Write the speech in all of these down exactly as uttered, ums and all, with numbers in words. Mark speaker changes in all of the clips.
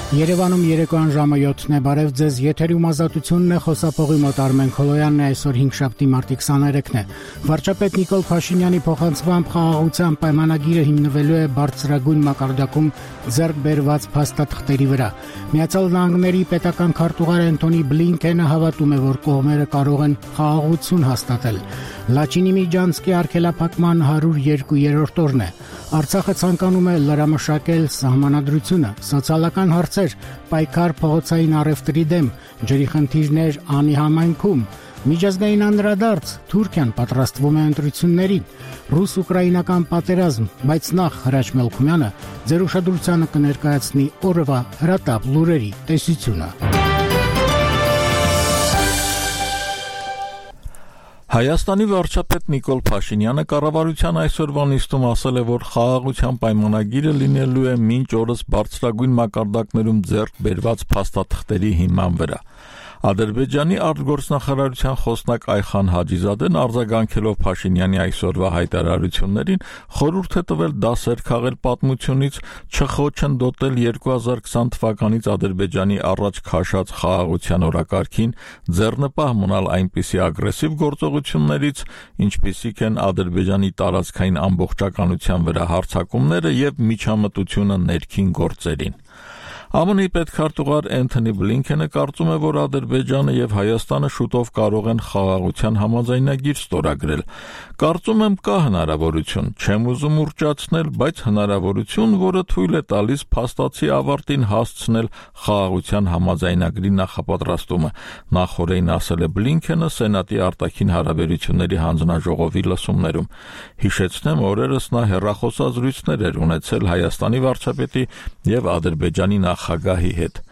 Speaker 1: Երևանում երեկոյան ժամը յոթն է, բարև ձեզ, եթերում ազատությունն է, խոսափողի մոտ Արմեն Քոլոյանն է, այսօր հինգշաբթի մարտի քսաներեքն է։ Վարչապետ Նիկոլ Փաշինյանի փոխանցմամբ խաղաղության պայմանագիրը հիմնվելու է բարձրագույն մակարդակում ձեռք բերված փաստաթղթերի վրա։ Միացյալ Նահանգների պետական քարտուղար Անթոնի Բլինքենը հավատում է, որ կողմերը կարող են խաղաղություն հաստատել։ Լաչինի միջանցքի արգելափակման հարյուր երկու-րդ օրն է։ Արցախը ցանկանում է լրամշակել սահմանադրությունը, սոցիալական հարցեր, պայքար փողոցային առևտրի դեմ, ջրի խնդիրներ անի համայնքում, միջազգային անդրադարձ, Թուրքիան պատրաստվում է ընտրությունների, ռուս-ուկրաինական պատերազմ, բայց նախ Հրաչ Մելքումյանը ձեր ուշադրությանը կներկայացնի օրվա հրատապ լուրերի տեսությունը։
Speaker 2: Հայաստանի վարչապետ Նիկոլ Փաշինյանը կառավարության այսօրվա նիստում ասել է, որ խաղաղության պայմանագիրը լինելու է մինչ օրս բարձրագույն մակարդակներում ձեռք բերված փաստաթղթերի հիման վրա։ Ադրբեջանի արտգործնախարարության խոսնակ Այխան Հաջիզադեն արձագանքելով Փաշինյանի այսօրվա հայտարարություններին խորհուրդ է տվել դասեր քաղել պատմությունից, չխոչընդոտել երկու հազար քսան թվականից Ադրբեջանի առաջ քաշած խաղաղության օրակարգին, ձեռնպահ մնալ այնպիսի ագրեսիվ գործողություններից, ինչպիսիք են Ադրբեջանի տարածքային ամբողջականության վրա հարձակումները եւ միջամտությունը ներքին գործերին։ ԱՄՆ-ի պետքարտուղար Անթոնի Բլինքենը կարծում է, որ Ադրբեջանը եւ Հայաստանը շուտով կարող են խաղաղության համաձայնագիր ստորագրել։ Կարծում եմ կա հնարավորություն, չեմ ուզում ուռճացնել, բայց հնարավորություն, որը թույլ է տալիս փաստացի ավարտին հասցնել խաղաղության համաձայնագրի նախապատրաստումը, նախորդին ասել է Բլինքենը Սենատի արտաքին հարաբերությունների հանձնաժողովի լսումներում։ Հիշեցնեմ, օրերս նա հեռախոսազրույցներ էր ունեցել Հայաստանի վարչապետի եւ Ադրբեջանի նախագահի հետ։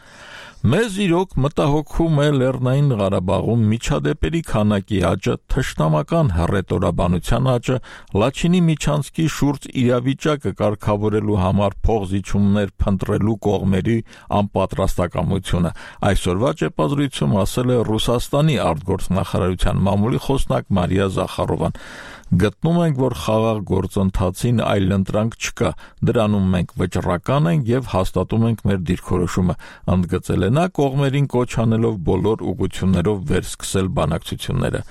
Speaker 2: Մեզ իրոք մտահոգում է Լեռնային Ղարաբաղում միջադեպերի քանակի աճը, թշնամական հռետորաբանության աճը, Լաչինի միջանցքի շուրջ իրավիճակը կարգավորելու համար փոխզիջումներ փնտրելու կողմերի անպատրաստակամությունը։ Այսօրվա ճեպազրույցում ասել է Ռուսաստանի արտգործնախարարության մամուլի խոսնակ Մարիա Զախարովան։ Գտնում ենք, որ խաղաղ գործընթացին այլընտրանք չկա, դրանում մենք վճռական ենք եւ հաստատում ենք մեր դիրքորոշումը, ընդգծել է նա կողմերին կոչ անելով բոլոր ուղղություններով վերսկսել բանակցությունները։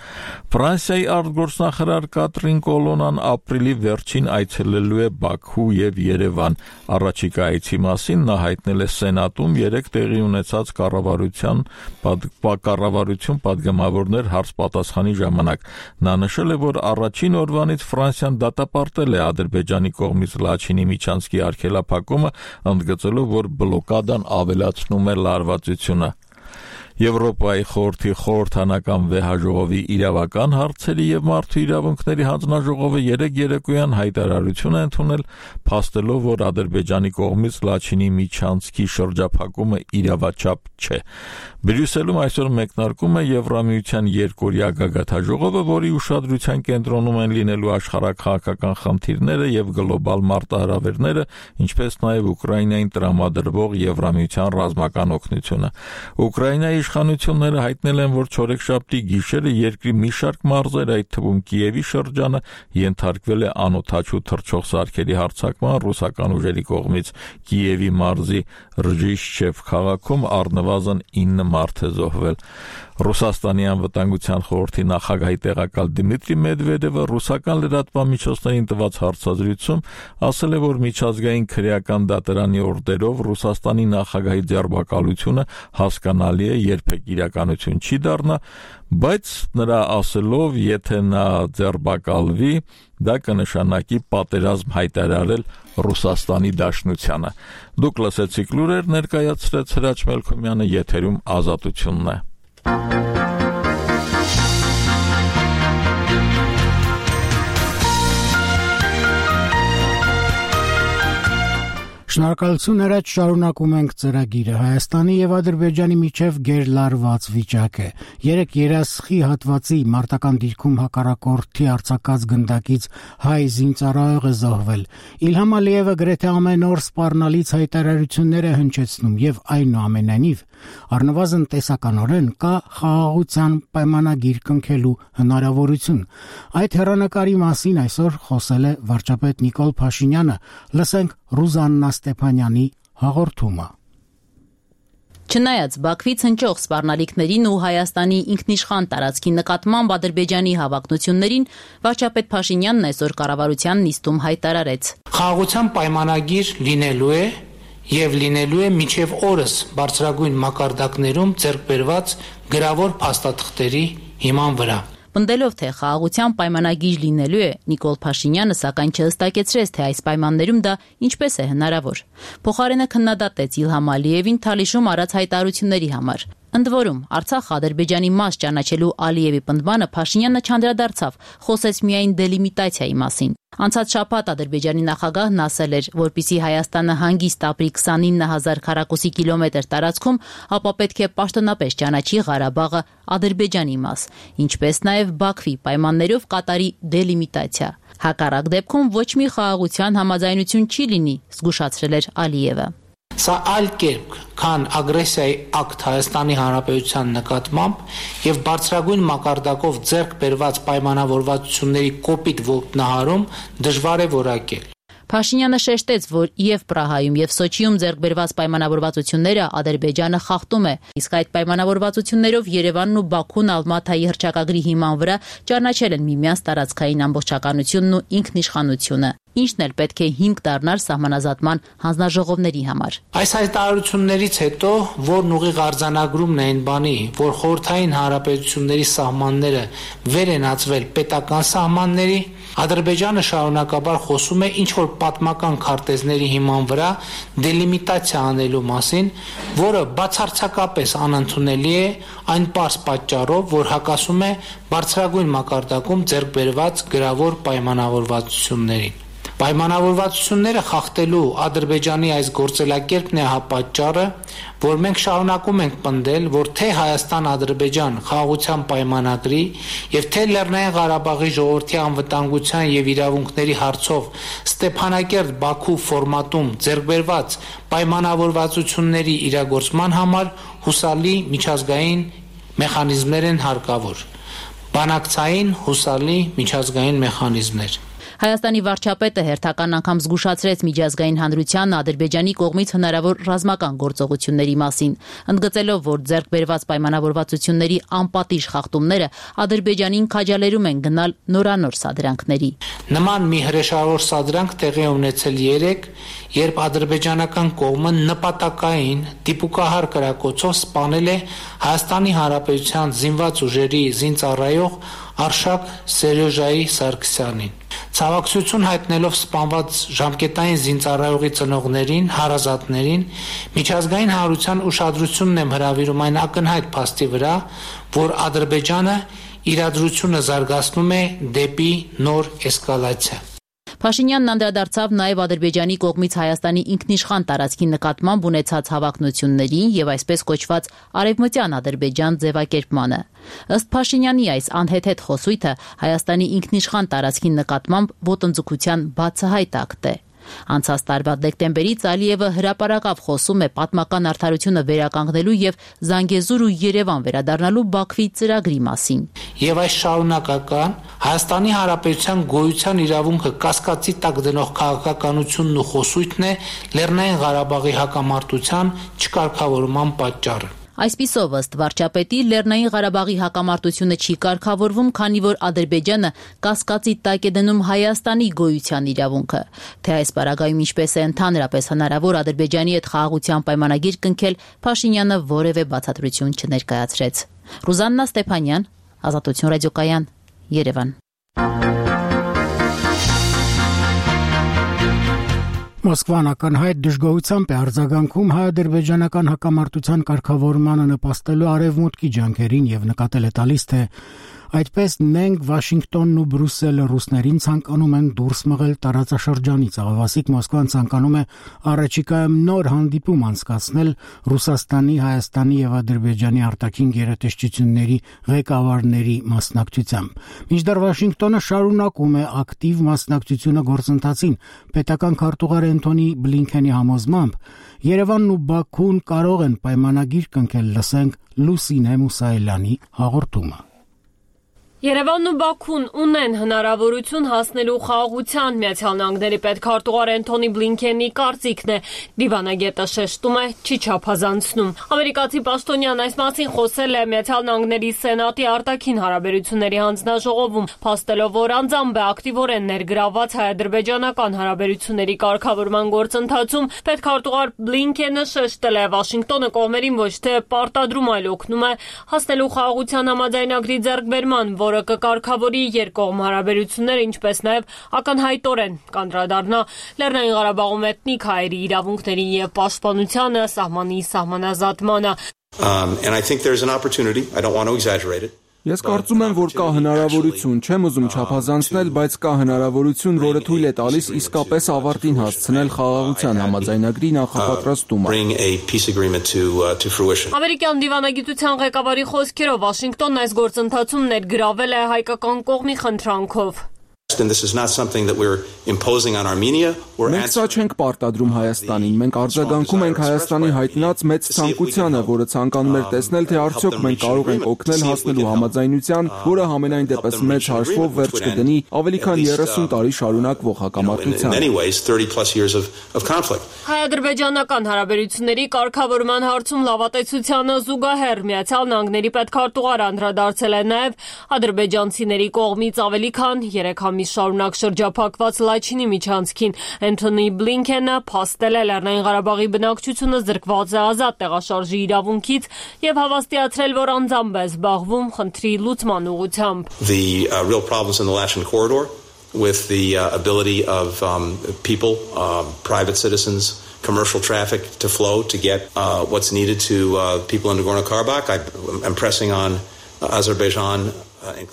Speaker 2: Ֆրանսիայի արտգործնախարար Կատրին Կոլոնան ապրիլի վերջին այցելելու է Բաքու եւ Երևան։ Առաջիկա այցի մասին նա հայտնել է Սենատում երեք տեղի ունեցած կառավարության կառավարություն падգամավորներ հարց-պատասխանի ժամանակ։ Նա նշել է, որ առաջին օրվանից Ֆրանսիան դատապարտել է Ադրբեջանի կողմից Լաչինի միջանցքի արգելափակումը, ընդգծելով, որ բլոկադան ավելացնում է լարվածությունը։ Եվրոպայի խորհրդի խորհրդանական վեհաժողովի իրավական հարցերի եւ մարդու իրավունքների հանձնաժողովը երեք երեկոյան հայտարարություն է ընդունել, փաստելով, որ Ադրբեջանի կողմից Լաչինի միջանցքի շրջափակումը իրավաչափ չէ։ Բրյուսելում այսօր մեկնարկում է Եվրամիության երկօրյա գագաթաժողովը, որի ուշադրության կենտրոնում են լինելու աշխարհաքաղաքական խնդիրները եւ գլոբալ մարտահրավերները, ինչպես նաեւ Ուկրաինային տրամադրվող Եվրամիության ռազմական օգնությունը։ Ուկրաինայի իշխանությունները հայտնել են, որ չորեքշաբթի գիշերը երկրի մի շարք մարզեր, այդ թվում Կիևի շրջանը, ենթարկվել է անօդաչու թռչող սարքերի հարձակման ռուսական ուժերի կողմից։ Կիևի մարզի Ռժիշչև քաղաքում առնվազն ինը մարդ է զոհվել։ Ռուսաստանի անվտանգության խորհրդի նախագահի տեղակալ Դմիտրի Մեդվեդևը ռուսական լրատվամիջոցներին տված հարցազրույցում ասել է, որ միջազգային քրեական դատարանի օրդերով Ռուսաստանի նախագահի ձերբակալությունը հասկանալի է, երբեք իրականություն չի դառնա, բայց նրա ասելով, եթե նա ձերբակալվի, դա կնշանակի պատերազմ հայտարարել Ռուսաստանի Դաշնությանը։ Դուք լսեցիք լուրեր, ներկայացրեց Հրաչ Մելքումյանը, եթերում ազատությունն է։
Speaker 1: Շնորհակալություն, Հրաչ, շարունակում ենք ծրագիրը։ Հայաստանի եւ Ադրբեջանի միջև գերլարված վիճակ է։ Երեք երասխի հատվածի մարտական դիրքում հակառակորդի արձակած գնդակից հայ զինծառայող է զոհվել։ Իլհամ Ալիևը գրեթե ամեն օր սպառնալից հայտարարություններ է հնչեցնում եւ այնուամենայնիվ առնվազն տեսականորեն կա խաղաղության պայմանագիր կնքելու հնարավորություն։ Այդ հեռանկարի մասին այսօր խոսել է վարչապետ Նիկոլ Փաշինյանը։ Լսենք Ռուզաննա Ստեփանյանի հաղորդումը։
Speaker 3: Չնայած Բաքվից հնչող սպառնալիքներին ու Հայաստանի ինքնիշխան տարածքի նկատմամբ Ադրբեջանի հավակնություններին, վարչապետ Փաշինյանն այսօր կառավարության նիստում հայտարարեց.
Speaker 4: Խաղաղության պայմանագիր լինելու է եւ լինելու է մինչեւ օրս բարձրագույն մակարդակներում ձեռք բերված գրավոր փաստաթղթերի հիման վրա։
Speaker 3: Պնդելով, թե խաղաղության պայմանագիր լինելու է, Նիկոլ Փաշինյանը սակայն չհստակեցրեց, թե այս պայմաններում դա ինչպես է հնարավոր։ Փոխարենը քննադատեց Իլհամ Ալիևին Թալիշում արած հայտարարությունների համար։ Ընդ որում, Արցախ Ադրբեջանի մաս ճանաչելու Ալիևի պնդմանը Փաշինյանը չանդրադարձավ, խոսեց միայն դելիմիտացիայի մասին։ Անցած շաբաթ Ադրբեջանի նախագահն ասել էր, որպեսզի Հայաստանը հանգիստ ապրի քսանինը հազար քառակուսի կիլոմետր տարածքում, ապա պետք է պաշտոնապես ճանաչի Ղարաբաղը Ադրբեջանի մաս, ինչպես նաև Բաքվի պայմաններով կատարի դելիմիտացիա։ Հակառակ դեպքում ոչ մի խաղաղության համաձայնություն չի լինի, զգուշացրել էր Ալիևը։
Speaker 4: Սա այլ կերպ, քան ագրեսիայի ակտ Հայաստանի Հանրապետության նկատմամբ եւ բարձրագույն մակարդակով ձեռք բերված պայմանավորվածությունների կոպիտ ոտնահարում դժվար է որակել։
Speaker 3: Փաշինյանը շեշտեց, որ եւ Պրահայում եւ Սոչիում ձեռք բերված պայմանավորվածությունները Ադրբեջանը խախտում է, իսկ այդ պայմանավորվածություններով Երևանն ու Բաքուն Ալմաթայի հռչակագրի հիման վրա ճանաչել են միմյանց տարածքային ամբողջականությունն ու ինքնիշխանությունը, ինչն էլ պետք է հիմք դառնար սահմանազատման հանձնաժողովների համար։
Speaker 4: Այս հայտարարություններից հետո, որն ուղիղ արձանագրումն է այն բանի, որ խորհրդային հանրապետությունների սահմանները վեր են ածվել պետական սահմանների, Ադրբեջանը շարունակաբար խոսում է ինչ-որ պատմական քարտեզների հիման վրա դելիմիտացիա անելու մասին, որը բացարձակապես անընդունելի է այն պարզ պատճառով, որ հակասում է բարձրագույն մակարդակում ձեռք բերված գրավոր պայմանավորվածություններին։ Պայմանավորվածությունները խախտելու Ադրբեջանի այս գործելակերպն է հա պատճառը, որ մենք շարունակում ենք պնդել, որ թե Հայաստան-Ադրբեջան խաղաղության պայմանագրի եւ թե Լեռնային Ղարաբաղի ժողովրդի անվտանգության եւ իրավունքների հարցով Ստեփանակերտ-Բաքու ֆորմատում ձեռք բերված պայմանավորվածությունների իրագործման համար հուսալի միջազգային մեխանիզմներ են հարկավոր։ Բանակցային հուսալի միջազգային մեխանիզմներ։
Speaker 3: Հայաստանի վարչապետը հերթական անգամ զգուշացրեց միջազգային հանրությանն Ադրբեջանի կողմից հնարավոր ռազմական գործողությունների մասին, ընդգծելով, որ ձեռք բերված պայմանավորվածությունների անպատիժ խախտումները Ադրբեջանին քաջալերում են գնալ նորանոր սադրանքների։
Speaker 4: Նման մի հրեշավոր սադրանք տեղի ունեցել երեկ, երբ ադրբեջանական կողմը նպատակային դիպուկահար կրակոցով սպանել է Հայաստանի Հանրապետության զինված ուժերի զինծառայող Արշակ Սերյոժայի Սարգսյանին։ Ցավակցություն հայտնելով սպանված ժամկետային զինծառայողի ծնողներին, հարազատներին, միջազգային հանրության ուշադրությունն եմ հրավիրում այն ակնհայտ փաստի վրա, որ Ադրբեջանը իրադրությունը զարգացնում է դեպի նոր էսկալացիա։
Speaker 3: Փաշինյանն անդրադարձավ նաև Ադրբեջանի կողմից Հայաստանի ինքնիշխան տարածքի նկատմամբ ունեցած հավակնություններին եւ այսպես կոչված արևմտյան Ադրբեջան ձևակերպմանը։ Ըստ Փաշինյանի այս անհեթեթ խոսույթը Հայաստանի ինքնիշխան տարածքի նկատմամբ ոտնձգության բացահայտ ակտ է։ Անցած տարվա դեկտեմբերից Ալիևը հրապարակավ խոսում է պատմական արդարությունը վերականգնելու եւ Զանգեզուր ու Երևան վերադառնալու Բաքվի ծրագրի մասին։
Speaker 4: Եվ այս շարունակական Հայաստանի Հանրապետության գոյության իրավունքը կասկածի տակ դնող քաղաքականությունն ու խոսույթն է Լեռնային Ղարաբաղի հակամարտության չկարգավորման պատճառը։
Speaker 3: Այսպիսով ըստ վարչապետի Լեռնային Ղարաբաղի հակամարտությունը չի կարգավորվում, քանի որ Ադրբեջանը կասկածի տակ է դնում Հայաստանի գոյության իրավունքը։ Թե այս պարագայում ինչպես է ընդհանրապես հնարավոր Ադրբեջանի հետ խաղաղության պայմանագիր կնքել, Փաշինյանը որևէ բացատրություն չներկայացրեց։ Ռուզաննա Ստեփանյան, Ազատություն ռադիոկայան, Երևան։
Speaker 1: Մոսկվան ակնհայտ դժգոհությամբ է արձագանքում հայ-ադրբեջանական հակամարտության կարգավորմանը նպաստելու արևմուտքի ջանքերին եւ նկատել է տալիս, թե այդպես մենք Վաշինգտոնն ու Բրյուսելը ռուսներին ցանկանում են դուրս մղել տարածաշրջանից։ Աղավասիկ Մոսկվան ցանկանում է առաջիկայում նոր հանդիպում անցկացնել Ռուսաստանի, Հայաստանի եւ Ադրբեջանի արտաքին գերատեսչությունների ղեկավարների մասնակցությամբ։ Մինչդեռ Վաշինգտոնը շարունակում է ակտիվ մասնակցությունը գործընթացին։ Պետական քարտուղար Էնթոնի Բլինքենի համոզմամբ Երևանն ու Բաքուն կարող են պայմանագիր կնքել, լսենք Լուսինե Մուսայելյանի հաղորդումը։
Speaker 5: Երևանն ու Բաքուն ունեն հնարավորություն հասնելու խաղաղության, Միացյալ Նահանգների պետքարտուղար Էնթոնի Բլինքենի կարծիքն է, դիվանագետը շեշտում է, չի չափազանցնում։ Ամերիկացի պաշտոնյան այս մասին խոսել է Միացյալ Նահանգների Սենատի արտաքին հարաբերությունների հանձնաժողովում, փաստելով, որ անձամբ է ակտիվորեն ներգրավված հայ-ադրբեջանական հարաբերությունների կարգավորման գործընթացում, պետքարտուղար Բլինքենը շեշտել է, Վաշինգտոնը կողմերին ոչ թե պարտադրում, այլ օգնում է հասնելու խաղաղության համաձայնագրի ձեռքբերման, որը կկարգավորի երկկողմ հարաբերությունները, ինչպես նաև ակնհայտորեն կանդրադառնա Լեռնային Ղարաբաղում էթնիկ հայերի իրավունքներին և պաշտպանությանը, սահմանի սահմանազատմանը։
Speaker 6: Um, and I think there's an opportunity. I don't want to exaggerate it.
Speaker 7: Ես կարծում եմ, որ կա հնարավորություն, չեմ ուզում չափազանցնել, բայց կա հնարավորություն, որը թույլ է տալիս իսկապես ավարտին հասցնել խաղաղության համաձայնագրի նախապատրաստումը։
Speaker 5: Ամերիկյան դիվանագիտության ղեկավարի խոսքերով Վաշինգտոնն այս գործընթացում ներգրավել է հայկական կողմի խնդրանքով։
Speaker 6: And this is not something that we're imposing on Armenia.
Speaker 7: Մենք սա չենք պարտադրում Հայաստանին, մենք արձագանքում ենք Հայաստանի հայտնած մեծ ցանկությանը, որը ցանկանում էր տեսնել, թե արդյոք մենք կարող ենք օգնել հասնելու համաձայնության, որը համենայն դեպս մեծ հաշվով վերջ կդնի ավելի քան երեսուն տարի շարունակվող հակամարտության։
Speaker 5: Հայ-ադրբեջանական հարաբերությունների կարգավորման հարցում լավատեսությանը զուգահեռ Միացյալ Նահանգների պետքարտուղարը անդրադարձել է նաև ադրբեջանցիների կողմից ավելի քան երեք ամիս շարունակ շրջափակված Լաչինի միջանցքին։ Էնթոնի Բլինքենը փաստել է Լեռնային Ղարաբաղի բնակչությունը զրկված է ազատ տեղաշարժի իրավունքից եւ հավաստիացրել, որ անձամբ է զբաղվում խնդրի լուծման ուղղությամբ։
Speaker 6: The uh, real problems in the Latin corridor with the uh, ability of um, people, uh, private citizens, commercial traffic to flow to get uh, what's needed to uh, people in Nagorno-Karabakh. I, I'm pressing on uh, Azerbaijan.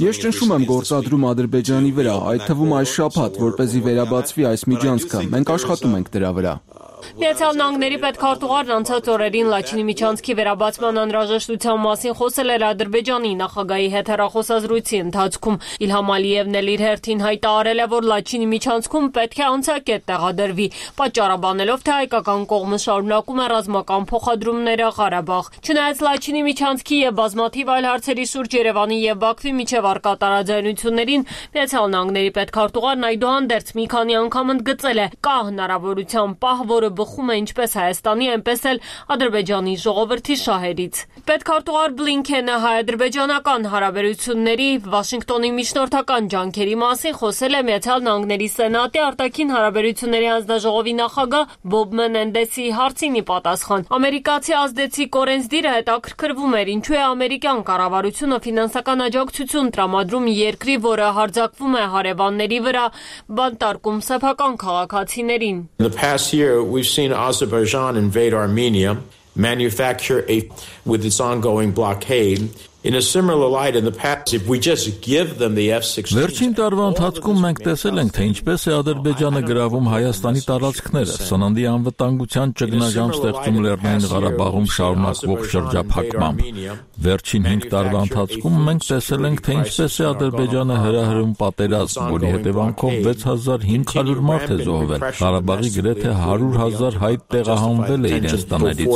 Speaker 7: Ես ճնշում եմ գործադրում Ադրբեջանի վրա, այդ թվում այս շաբաթ, որպեսզի վերաբացվի այս միջանցքը։ Մենք աշխատում ենք դրա վրա։
Speaker 5: Միացյալ Նահանգների պետքարտուղարն անցած օրերին Լաչինի միջանցքի վերաբացման անհրաժեշտության մասին խոսել էր Ադրբեջանի նախագահի հետ հեռախոսազրույցի ընթացքում։ Իլհամ Ալիևն էլ իր հերթին հայտարարել է, որ Լաչինի միջանցքում պետք է անցակետ տեղադրվի, պատճառաբանելով, թե հայկական կողմը շարունակում է ռազմական փոխադրումները Ղարաբաղ։ Չնայած Լաչինի միջանցքի եւ բազմաթիվ այլ հարցերի շուրջ Երևանի եւ Բաքվի միջև առկա տարաձայնություններին Միացյալ Նահանգների պետքարտուղարն այդուհանդերձ մի քանի անգամ ընդգծել է, կա հնարավորության պահ, որը բխում է ինչպես Հայաստանի, այնպես էլ Ադրբեջանի ժողովրդի շահերից։ Պետքարտուղար Բլինքենը հայ-ադրբեջանական հարաբերությունների Վաշինգտոնի միջնորդական ջանքերի մասին խոսել է Միացյալ Նահանգների Սենատի արտաքին հարաբերությունների հանձնաժողովի նախագահ Բոբ Մենենդեսի հարցին ի պատասխան։ Ամերիկացի ազդեցիկ օրենսդիրը հետաքրքրվում էր, ինչու է ամերիկյան կառավարությունը ֆինանսական աջակցություն տրամադրում երկրի, որը հարձակվում է հարևանների վրա, բանտարկում սեփական քաղաքացիներին։
Speaker 8: We've seen Azerbaijan invade Armenia, manufacture a with its ongoing blockade. In a similar light in the past, if we just give them the F sixteen.
Speaker 2: Վերջին տարվա ընթացքում մենք տեսել ենք, թե ինչպես է Ադրբեջանը գրավում Հայաստանի տարածքները, սննդի անվտանգության ճգնաժամ ստեղծում Լեռնային Ղարաբաղում շարունակվող շրջափակմամբ։ Վերջին հինգ տարվա ընթացքում մենք տեսել ենք, թե ինչպես է Ադրբեջանը հրահրում պատերազմ, որի հետևանքով վեց հազար հինգ հարյուր մարդ է զոհվել։ Ղարաբաղի գրեթե հարյուր հազար հայ տեղահանվել է իրենց տներից։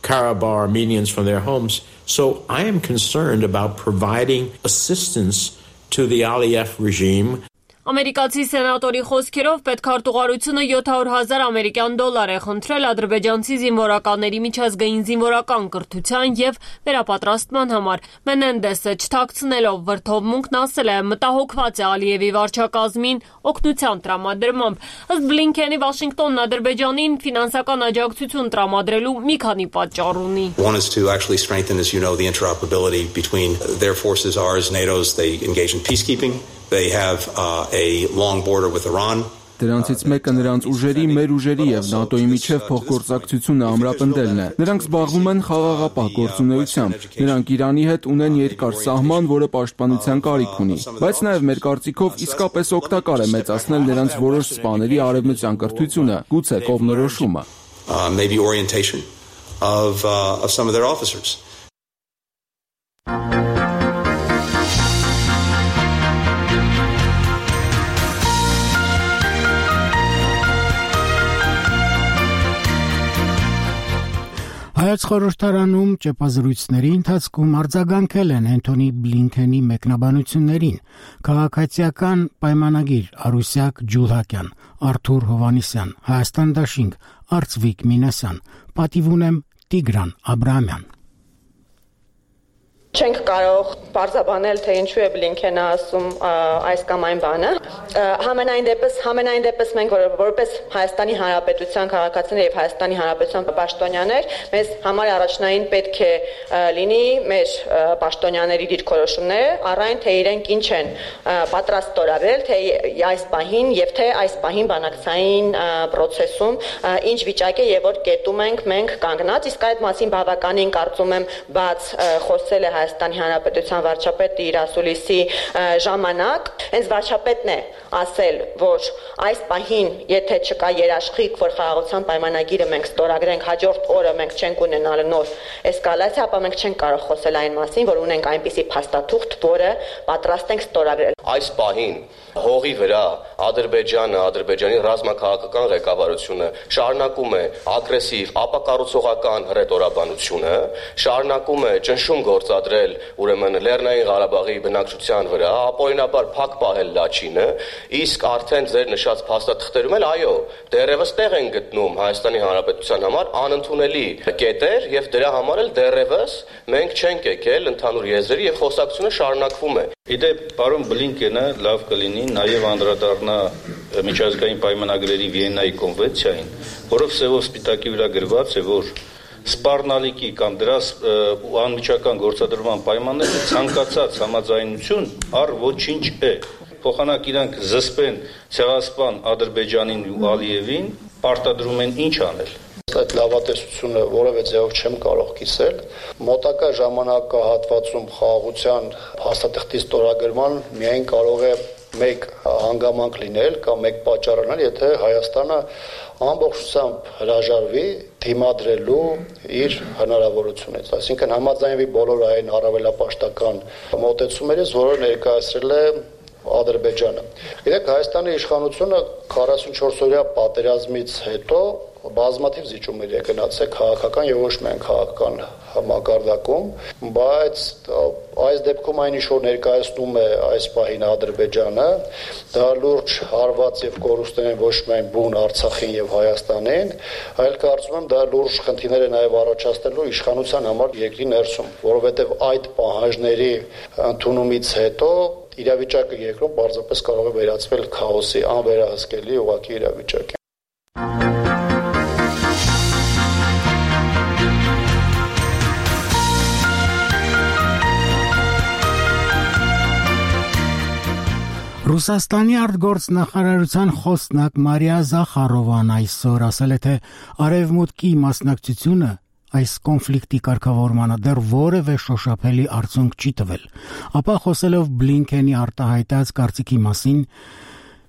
Speaker 8: Karabakh Armenians from their homes. So I am concerned about providing assistance to the Aliyev regime.
Speaker 5: Ամերիկացի սենատորի խոսքերով պետքարտուղարությունը յոթ հարյուր հազար ամերիկյան դոլար է խնդրել ադրբեջանցի զինվորականների միջազգային զինվորական կրթության եւ վերապատրաստման համար։ Մենենդեսը չթաքցնելով վրդովմունքն ասել է, մտահոգված է Ալիևի վարչակազմին օգնության տրամադրմամբ։ Ըստ Բլինքենի Վաշինգտոնն Ադրբեջանին ֆինանսական աջակցություն տրամադրելու մի քանի պատճառ ունի։
Speaker 6: One is to actually strengthen, as you know, the interoperability between their forces, ours, NATO's. They engage in peacekeeping. They have uh, a long border with Iran.
Speaker 7: Դրանցից մեկը նրանց ուժերի, մեր ուժերի եւ ՆԱՏՕ-ի միջև փոխգործակցությունը ամրապնդելն է։ Նրանք զբաղվում են խաղաղապահ գործունեությամբ։ Նրանք Իրանի հետ ունեն երկար սահման, որը պաշտպանության կարիք ունի։ Բայց նաեւ մեր կարծիքով իսկապես օգտակար է մեծացնել նրանց որոշ սպաների արևմտյան կրթությունը, գուցե կողմնորոշումը։
Speaker 6: Maybe orientation of uh, of some of their officers.
Speaker 1: Հայոց խորհրդարանում ճեպազրույցների ընթացքում արձագանքել են Անթոնի Բլինքենի մեկնաբանություններին քաղաքացիական պայմանագիր Արուսյակ Ջուլհակյան, Արթուր Հովանիսյան, Հայաստան Դաշինք, Արծվիկ Մինասյան, պատիվ ունեմ Տիգրան Աբրահամյան։
Speaker 9: Չենք կարող բարձաբանել, թե ինչու է Բլինքենը ասում այս կամ այն բանը։ Համենայն դեպս, համենայն դեպս մենք որպես Հայաստանի Հանրապետության քաղաքացիներ եւ Հայաստանի Հանրապետության պաշտոնյաներ, մեզ համար առաջնային պետք է լինի մեր պաշտոնյաների դիրքորոշումները, առայն թե իրենք ինչ են պատրաստ ստորագրել, թե այս պահին եւ թե այս պահին բանակցային process-ում ինչ վիճակ է եւ որ կետում ենք մենք կանգնած, իսկ այդ մասին բավականին կարծում եմ բաց խոսել է Հայաստանի Հանրապետության վարչապետը իր ասուլիսի ժամանակ, հենց վարչապետն է ասել, որ այս պահին, եթե չկա երաշխիք, որ խաղաղության պայմանագիրը մենք ստորագրենք, հաջորդ օրը մենք չենք ունենալ նոր էսկալացիա, ապա մենք չենք կարող խոսել այն մասին, որ ունենք այնպիսի փաստաթուղթ, որը պատրաստ ենք ստորագրել։
Speaker 10: Այս պահին հողի վրա Ադրբեջանը, Ադրբեջանի ռազմաքաղաքական ղեկավարությունը շարունակում է ագրեսիվ ապակառուցողական հռետորաբանությունը, շարունակում է ճնշում գործադրել ուրեմն Լեռնային Ղարաբաղի բնակչության վրա, ապօրինաբար փակ պահել Լաչինը, իսկ արդեն ձեր նշած փաստաթղթերում էլ այո, դեռևս տեղ են գտնում Հայաստանի Հանրապետության համար անընդունելի կետեր եւ դրա համար էլ դեռևս մենք չենք եկել ընդհանուր եզրերի եւ խոսակցությունը շարունակվում է։
Speaker 11: Իդեպ, պարոն Բլինքենը լավ կլինի նաև անդրադառնա միջազգային պայմանագրերի Վիեննայի կոնվենցիային, որով սևով սպիտակի վրա գրված է, որ սպառնալիքի կամ դրա անմիջական գործադրման պայմանները ցանկացած համաձայնություն առ ոչինչ է։ Փոխանակ իրանք զսպեն ցեղասպան Ադրբեջանին ու Ալիևին, պարտադրում են ինչ անել։
Speaker 12: Այդ լավատեսությունը որևէ ձևով չեմ կարող կիսել։ Մոտակա ժամանակահատվածում խաղաղության հաստատիխտի ստորագրման միայն կարող է մեկ հանգամանք լինել կամ մեկ պատճառ լինել, եթե Հայաստանը ամբողջությամբ հրաժարվի դիմադրելու իր հնարավորությունից, այսինքն համաձայնվի բոլոր այն առավելապաշտական մոտեցումներից, որը ներկայացրել է Ադրբեջանը։ Գիտեք, Հայաստանի իշխանությունը քառասունչորս օրյա պատերազմից հետո բազմաթիվ զիջումներ է գնացել քաղաքական եւ ոչ միայն քաղաքական մակարդակում, բայց այս դեպքում այն ինչ որ ներկայացնում է այս պահին Ադրբեջանը, դա լուրջ հարված եւ կորուստներ են ոչ միայն բուն Արցախին եւ Հայաստանին, այլ կարծում եմ դա լուրջ խնդիրներ է նաեւ առաջացնելու իշխանության համար երկրի ներսում, որովհետեւ այդ պահանջների ընդունումից հետո իրավիճակը երկրում բարձրապես կարող է վերածվել քաոսի, անվերահսկելի ուղղակի իրավիճակի։
Speaker 1: Ռուսաստանի արտգործնախարարության խոսնակ Մարիա Զախարովան այսօր ասել է, թե Արևմուտքի մասնակցությունը այս կոնֆլիկտի կարգավորմանը դեռ որևէ շոշափելի արդյունք չի տվել, ապա խոսելով Բլինքենի արտահայտած կարծիքի մասին,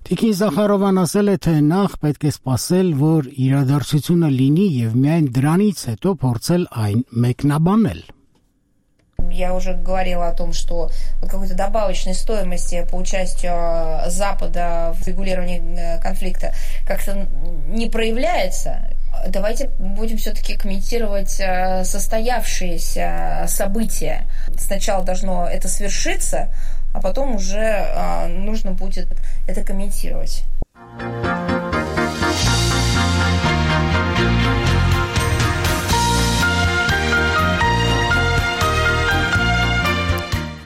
Speaker 1: Տիկին Զախարովան ասել է, թե նախ պետք է սպասել, որ իրադարձությունը լինի եւ միայն дրանից հետո փորձել այն մեկնաբանել։
Speaker 13: Я уже говорила о том, что вот какой-то добавочной стоимости по участию Запада в регулировании конфликта как-то не проявляется. Давайте будем все-таки комментировать состоявшиеся события. Сначала должно это свершиться, а потом уже нужно будет это комментировать.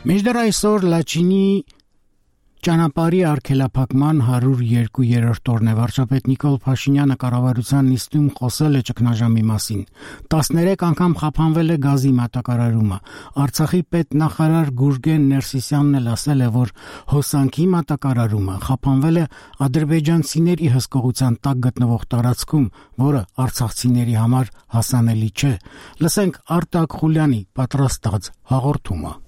Speaker 1: Միջդեռ այսօր Լաչինի ճանապարհի արգելափակման հարյուր երկու-րդ օրն է վարչապետ Նիկոլ Փաշինյանը կառավարության նիստում խոսել է ճգնաժամի մասին։ տասներեք անգամ խափանվել է գազի մատակարարումը։ Արցախի պետնախարար Գուրգեն Ներսիսյանն էլ ասել է, որ հոսանքի մատակարարումը խափանվել է ադրբեջանցիների հսկողության տակ գտնվող տարածքում, որը արցախցիների համար հասանելի չէ։ Լսենք Արտակ Խուլյանի պատրաստած հաղորդումը։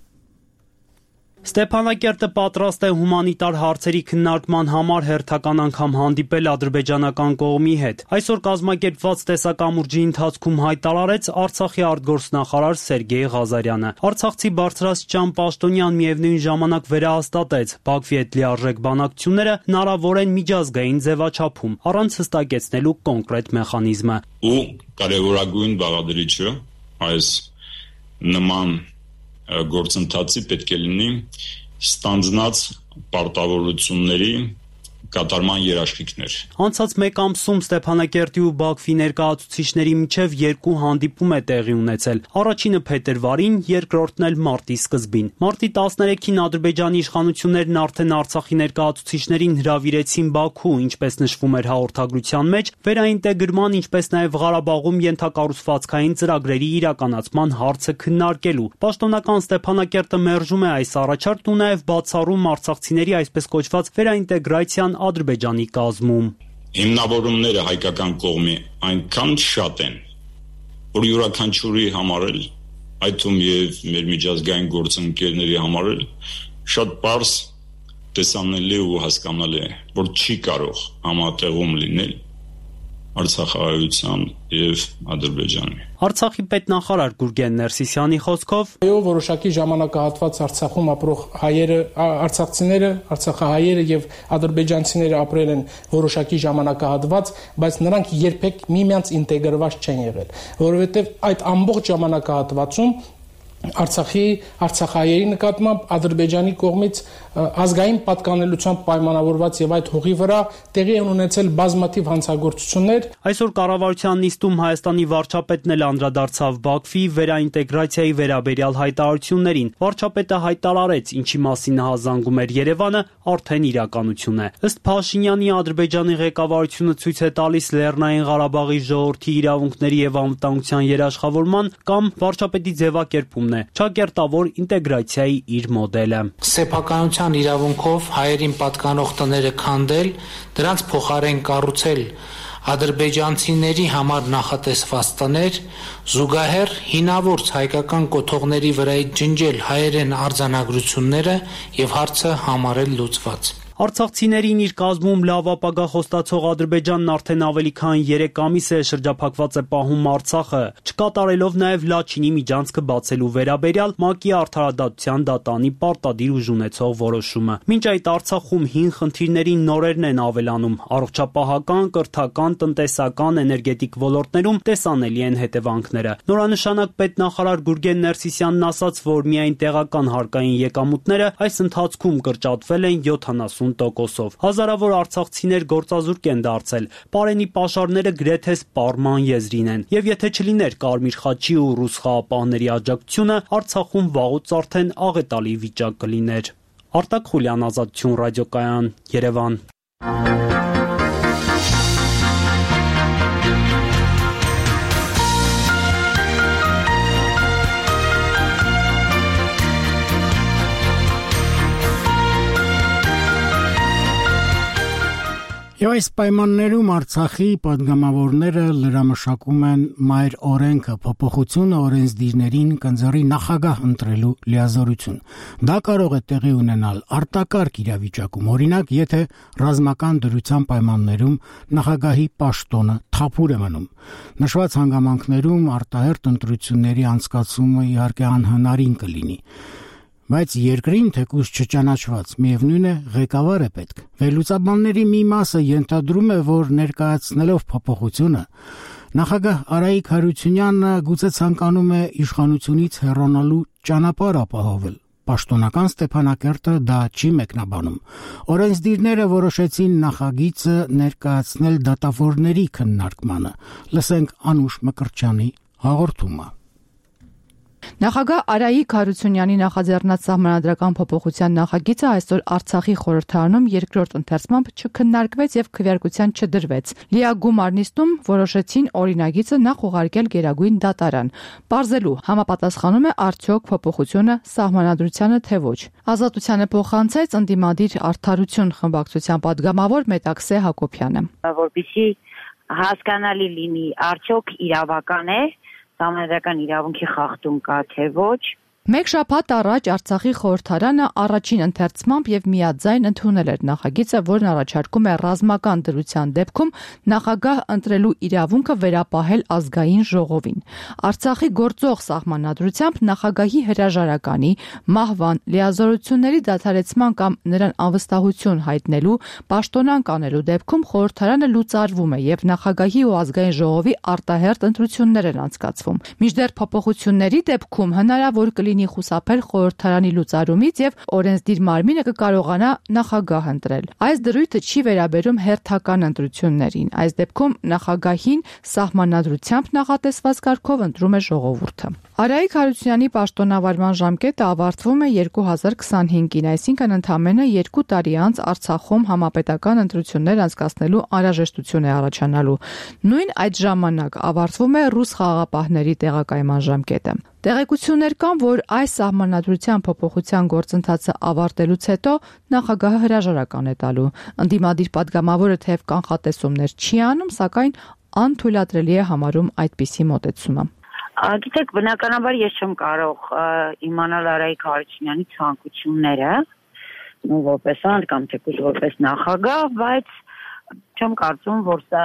Speaker 14: Ստեփանակերտը պատրաստ է հումանիտար հարցերի քննարկման համար հերթական անգամ հանդիպել ադրբեջանական կողմի հետ։ Այսօր կազմակերպված տեսակամուրջի ընթացքում հայտարարեց Արցախի արտգործնախարար Սերգեյ Ղազարյանը։ Արցախցի բարձրաստիճան պաշտոնյան միևնույն ժամանակ վերահաստատեց Բաքվի հետ լիարժեք բանակցությունները հնարավոր են միջազգային ձևաչափում, առանց հստակեցնելու կոնկրետ մեխանիզմը։
Speaker 15: Ու կարևորագույն բաղադրիչը այս նման գործընթացի պետք է լինի ստանձնած պարտավորությունների կատարման երաշխիքներ։
Speaker 14: Անցած մեկ ամսում Ստեփանակերտի ու Բաքվի ներկայացուցիչների միջև երկու հանդիպում է տեղի ունեցել։ Առաջինը փետրվարին, երկրորդն էլ մարտի սկզբին։ Մարտի տասներեքին Ադրբեջանի իշխանություններն արդեն Արցախի ներկայացուցիչներին հրավիրեցին Բաքու, ինչպես նշվում էր հաղորդագրության մեջ, վերաինտեգրման, ինչպես նաև Ղարաբաղում ենթակառուցվածքային ծրագրերի իրականացման հարցը քննարկելու։ Պաշտոնական Ստեփանակերտը մերժում է այս առաջարկն ու նաև բացառում արցախցիների այսպես կոչված վերաինտեգրացիան Ադրբեջանի կազմում։
Speaker 15: Հիմնավորումները հայկական կողմի այնքան շատ են, որ յուրաքանչյուրի համար էլ, այդ թվում եւ մեր միջազգային գործընկերների համար էլ շատ պարզ տեսանելի ու հասկանալի է, որ չի կարող համատեղում լինել Արցախահայության եւ Ադրբեջանի։
Speaker 14: Արցախի պետնախարար Գուրգեն Ներսիսյանի խոսքով
Speaker 16: այո, որոշակի ժամանակահատված Արցախում ապրող հայերը, արցախցիները, արցախահայերը եւ ադրբեջանցիները ապրել են որոշակի ժամանակահատված, բայց նրանք երբեք միմյանց ինտեգրված չեն եղել, որովհետեւ այդ ամբողջ ժամանակահատվածում Արցախի արցախահայերի նկատմամբ Ադրբեջանի կողմից ազգային պատկանելությամբ պայմանավորված եւ այդ հողի վրա տեղի են ունեցել բազմաթիվ հանցագործություններ։
Speaker 14: Այսօր կառավարության նիստում Հայաստանի վարչապետն էլ անդրադարձավ Բաքվի վերաինտեգրացիայի վերաբերյալ հայտարարություններին։ Վարչապետը հայտարարեց, ինչի մասին հազանգում էր Երևանը, արդեն իրականություն է։ Ըստ Փաշինյանի, Ադրբեջանի ղեկավարությունը ցույց է տալիս Լեռնային Ղարաբաղի ժողովրդի իրավունքների եւ անվտանգության երաշխավորման կամ վարչապետի ձևակերպումն է ճակերտավոր ինտեգրացիայի իր մոդելը։
Speaker 4: Սեփականության իրավունքով հայերին պատկանող տները քանդել, դրանց փոխարեն կառուցել ադրբեջանցիների համար նախատեսված տներ, զուգահեռ հինավուրց հայկական կոթողների վրայից ջնջել հայերեն արձանագրությունները եւ հարցը համարել լուծված։
Speaker 14: Արցախցիներին իր կազմում լավ ապագա խոստացող Ադրբեջանն արդեն ավելի քան երեք ամիս է շրջափակված է պահում Արցախը, չկատարելով նաև Լաչինի միջանցքը բացելու վերաբերյալ ՄԱԿ-ի արդարադատության դատանի պարտադիր ուժ ունեցող որոշումը։ Մինչ այդ Արցախում հին խնդիրներին նորերն են ավելանում, առողջապահական, կրթական, տնտեսական, էներգետիկ ոլորտներում տեսանելի են հետևանքները։ Նորանշանակ պետնախարար Գուրգեն Ներսիսյանն ասաց, որ միայն տեղական հարկային եկամուտները այս ընթացքում կրճատվել են յոթանասուն տոկոսով։ Հազարավոր արցախցիներ գործազուրկ են դարձել, պարենի պաշարները գրեթե սպառման եզրին են։ Եվ եթե չլիներ Կարմիր խաչի ու ռուս խաղապահների աջակցությունը, Արցախում վաղուց արդեն աղետալի վիճակ կլիներ։ Արտակ Խուլյան, Ազատություն ռադիոկայան, Երևան։
Speaker 1: Եվ այս պայմաններում Արցախի պատգամավորները լրամշակում են մայր օրենքը, փոփոխությունը օրենսդիրներին կնձեռի նախագահ ընտրելու լիազորություն։ Դա կարող է տեղի ունենալ արտակարգ իրավիճակում, օրինակ, եթե ռազմական դրության պայմաններում նախագահի պաշտոնը թափուր է մնում։ Նշված հանգամանքներում արտահերթ ընտրությունների անցկացումը իհարկե անհնարին կլինի։ Բայց երկրին թեկուզ չճանաչված, միևնույն է, ղեկավար է պետք։ Վերլուծաբանների մի մասը ենթադրում է, որ ներկայացնելով փոփոխությունը, նախագահ Արայիկ Հարությունյանը գուցե ցանկանում է իշխանությունից հեռանալու ճանապարհ ապահովել։ Պաշտոնական Ստեփանակերտը դա չի մեկնաբանում։ Օրենսդիրները որոշեցին նախագիծը ներկայացնել դատավորների քննարկմանը։ Լսենք Անուշ Մկրտչյանի հաղորդումը։
Speaker 17: Նախագահ Արայիկ Հարությունյանի նախաձեռնած սահմանադրական փոփոխության նախագիծը այսօր Արցախի խորհրդարանում երկրորդ ընթերցմամբ չքննարկվեց եւ քվեարկության չդրվեց։ Լիագումար նիստում որոշեցին օրինագիծը նախ ուղարկել Գերագույն դատարան, պարզելու համապատասխանում է արդյոք փոփոխությունը սահմանադրությանը թե ոչ։ Ազատությանը փոխանցեց ընդդիմադիր Արդարություն խմբակցության պատգամավոր Մետաքսե Հակոբյանը։
Speaker 18: Որպեսզի հասկանալի լինի, արդյոք իրավական է, սահմանադրական իրավունքի խախտում կա թե ոչ,
Speaker 17: Մեկ շաբաթ առաջ Արցախի խորհրդարանը առաջին ընթերցմամբ եւ միաձայն ընդունել էր նախագիծը, որն առաջարկում է ռազմական դրության դեպքում նախագահ ընտրելու իրավունքը վերապահել ազգային ժողովին։ Արցախի գործող սահմանադրությամբ նախագահի հրաժարականի, մահվան, լիազորությունների դադարեցման կամ նրան անվստահություն հայտնելու, պաշտոնանկ անելու դեպքում խորհրդարանը լուծարվում է եւ նախագահի ու ազգային ժողովի արտահերթ ընտրություններ են անցկացվում։ Մինչդեռ փոփոխությունների դեպքում հնարավոր կլինի խուսափել խորհրդարանի լուծարումից եւ օրենսդիր մարմինը կկարողանա նախագահ ընտրել։ Այս դրույթը չի վերաբերում հերթական ընտրություններին։ Այս դեպքում նախագահին սահմանադրությամբ նախատեսված կարգով ընտրում է ժողովուրդը։ Արայիկ Հարությունյանի պաշտոնավարման ժամկետը ավարտվում է երկու հազար քսանհինգին, այսինքն ընդամենը երկու տարի անց Արցախում համապետական ընտրություններ անցկացնելու անհրաժեշտություն է առաջանալու։ Նույն այդ ժամանակ ավարտվում է ռուս խաղաղապահների տեղակայման ժամկետը։ Տեղեկություններ կան, որ այս սահմանադրության փոփոխության գործընթացը ավարտելուց հետո նախագահը հրաժարական է տալու։ Ընդդիմադիր падգամավորը թեև կանխատեսումներ չի անում, սակայն անթույլատրելի է համարում այդպիսի մոտեցումը։
Speaker 18: Գիտեք, բնականաբար ես չեմ կարող իմանալ Արայիկ Հարությունյանի ցանկությունները, որպես անձ կամ թեկուզ որպես նախագահ, բայց չեմ կարծում, որ սա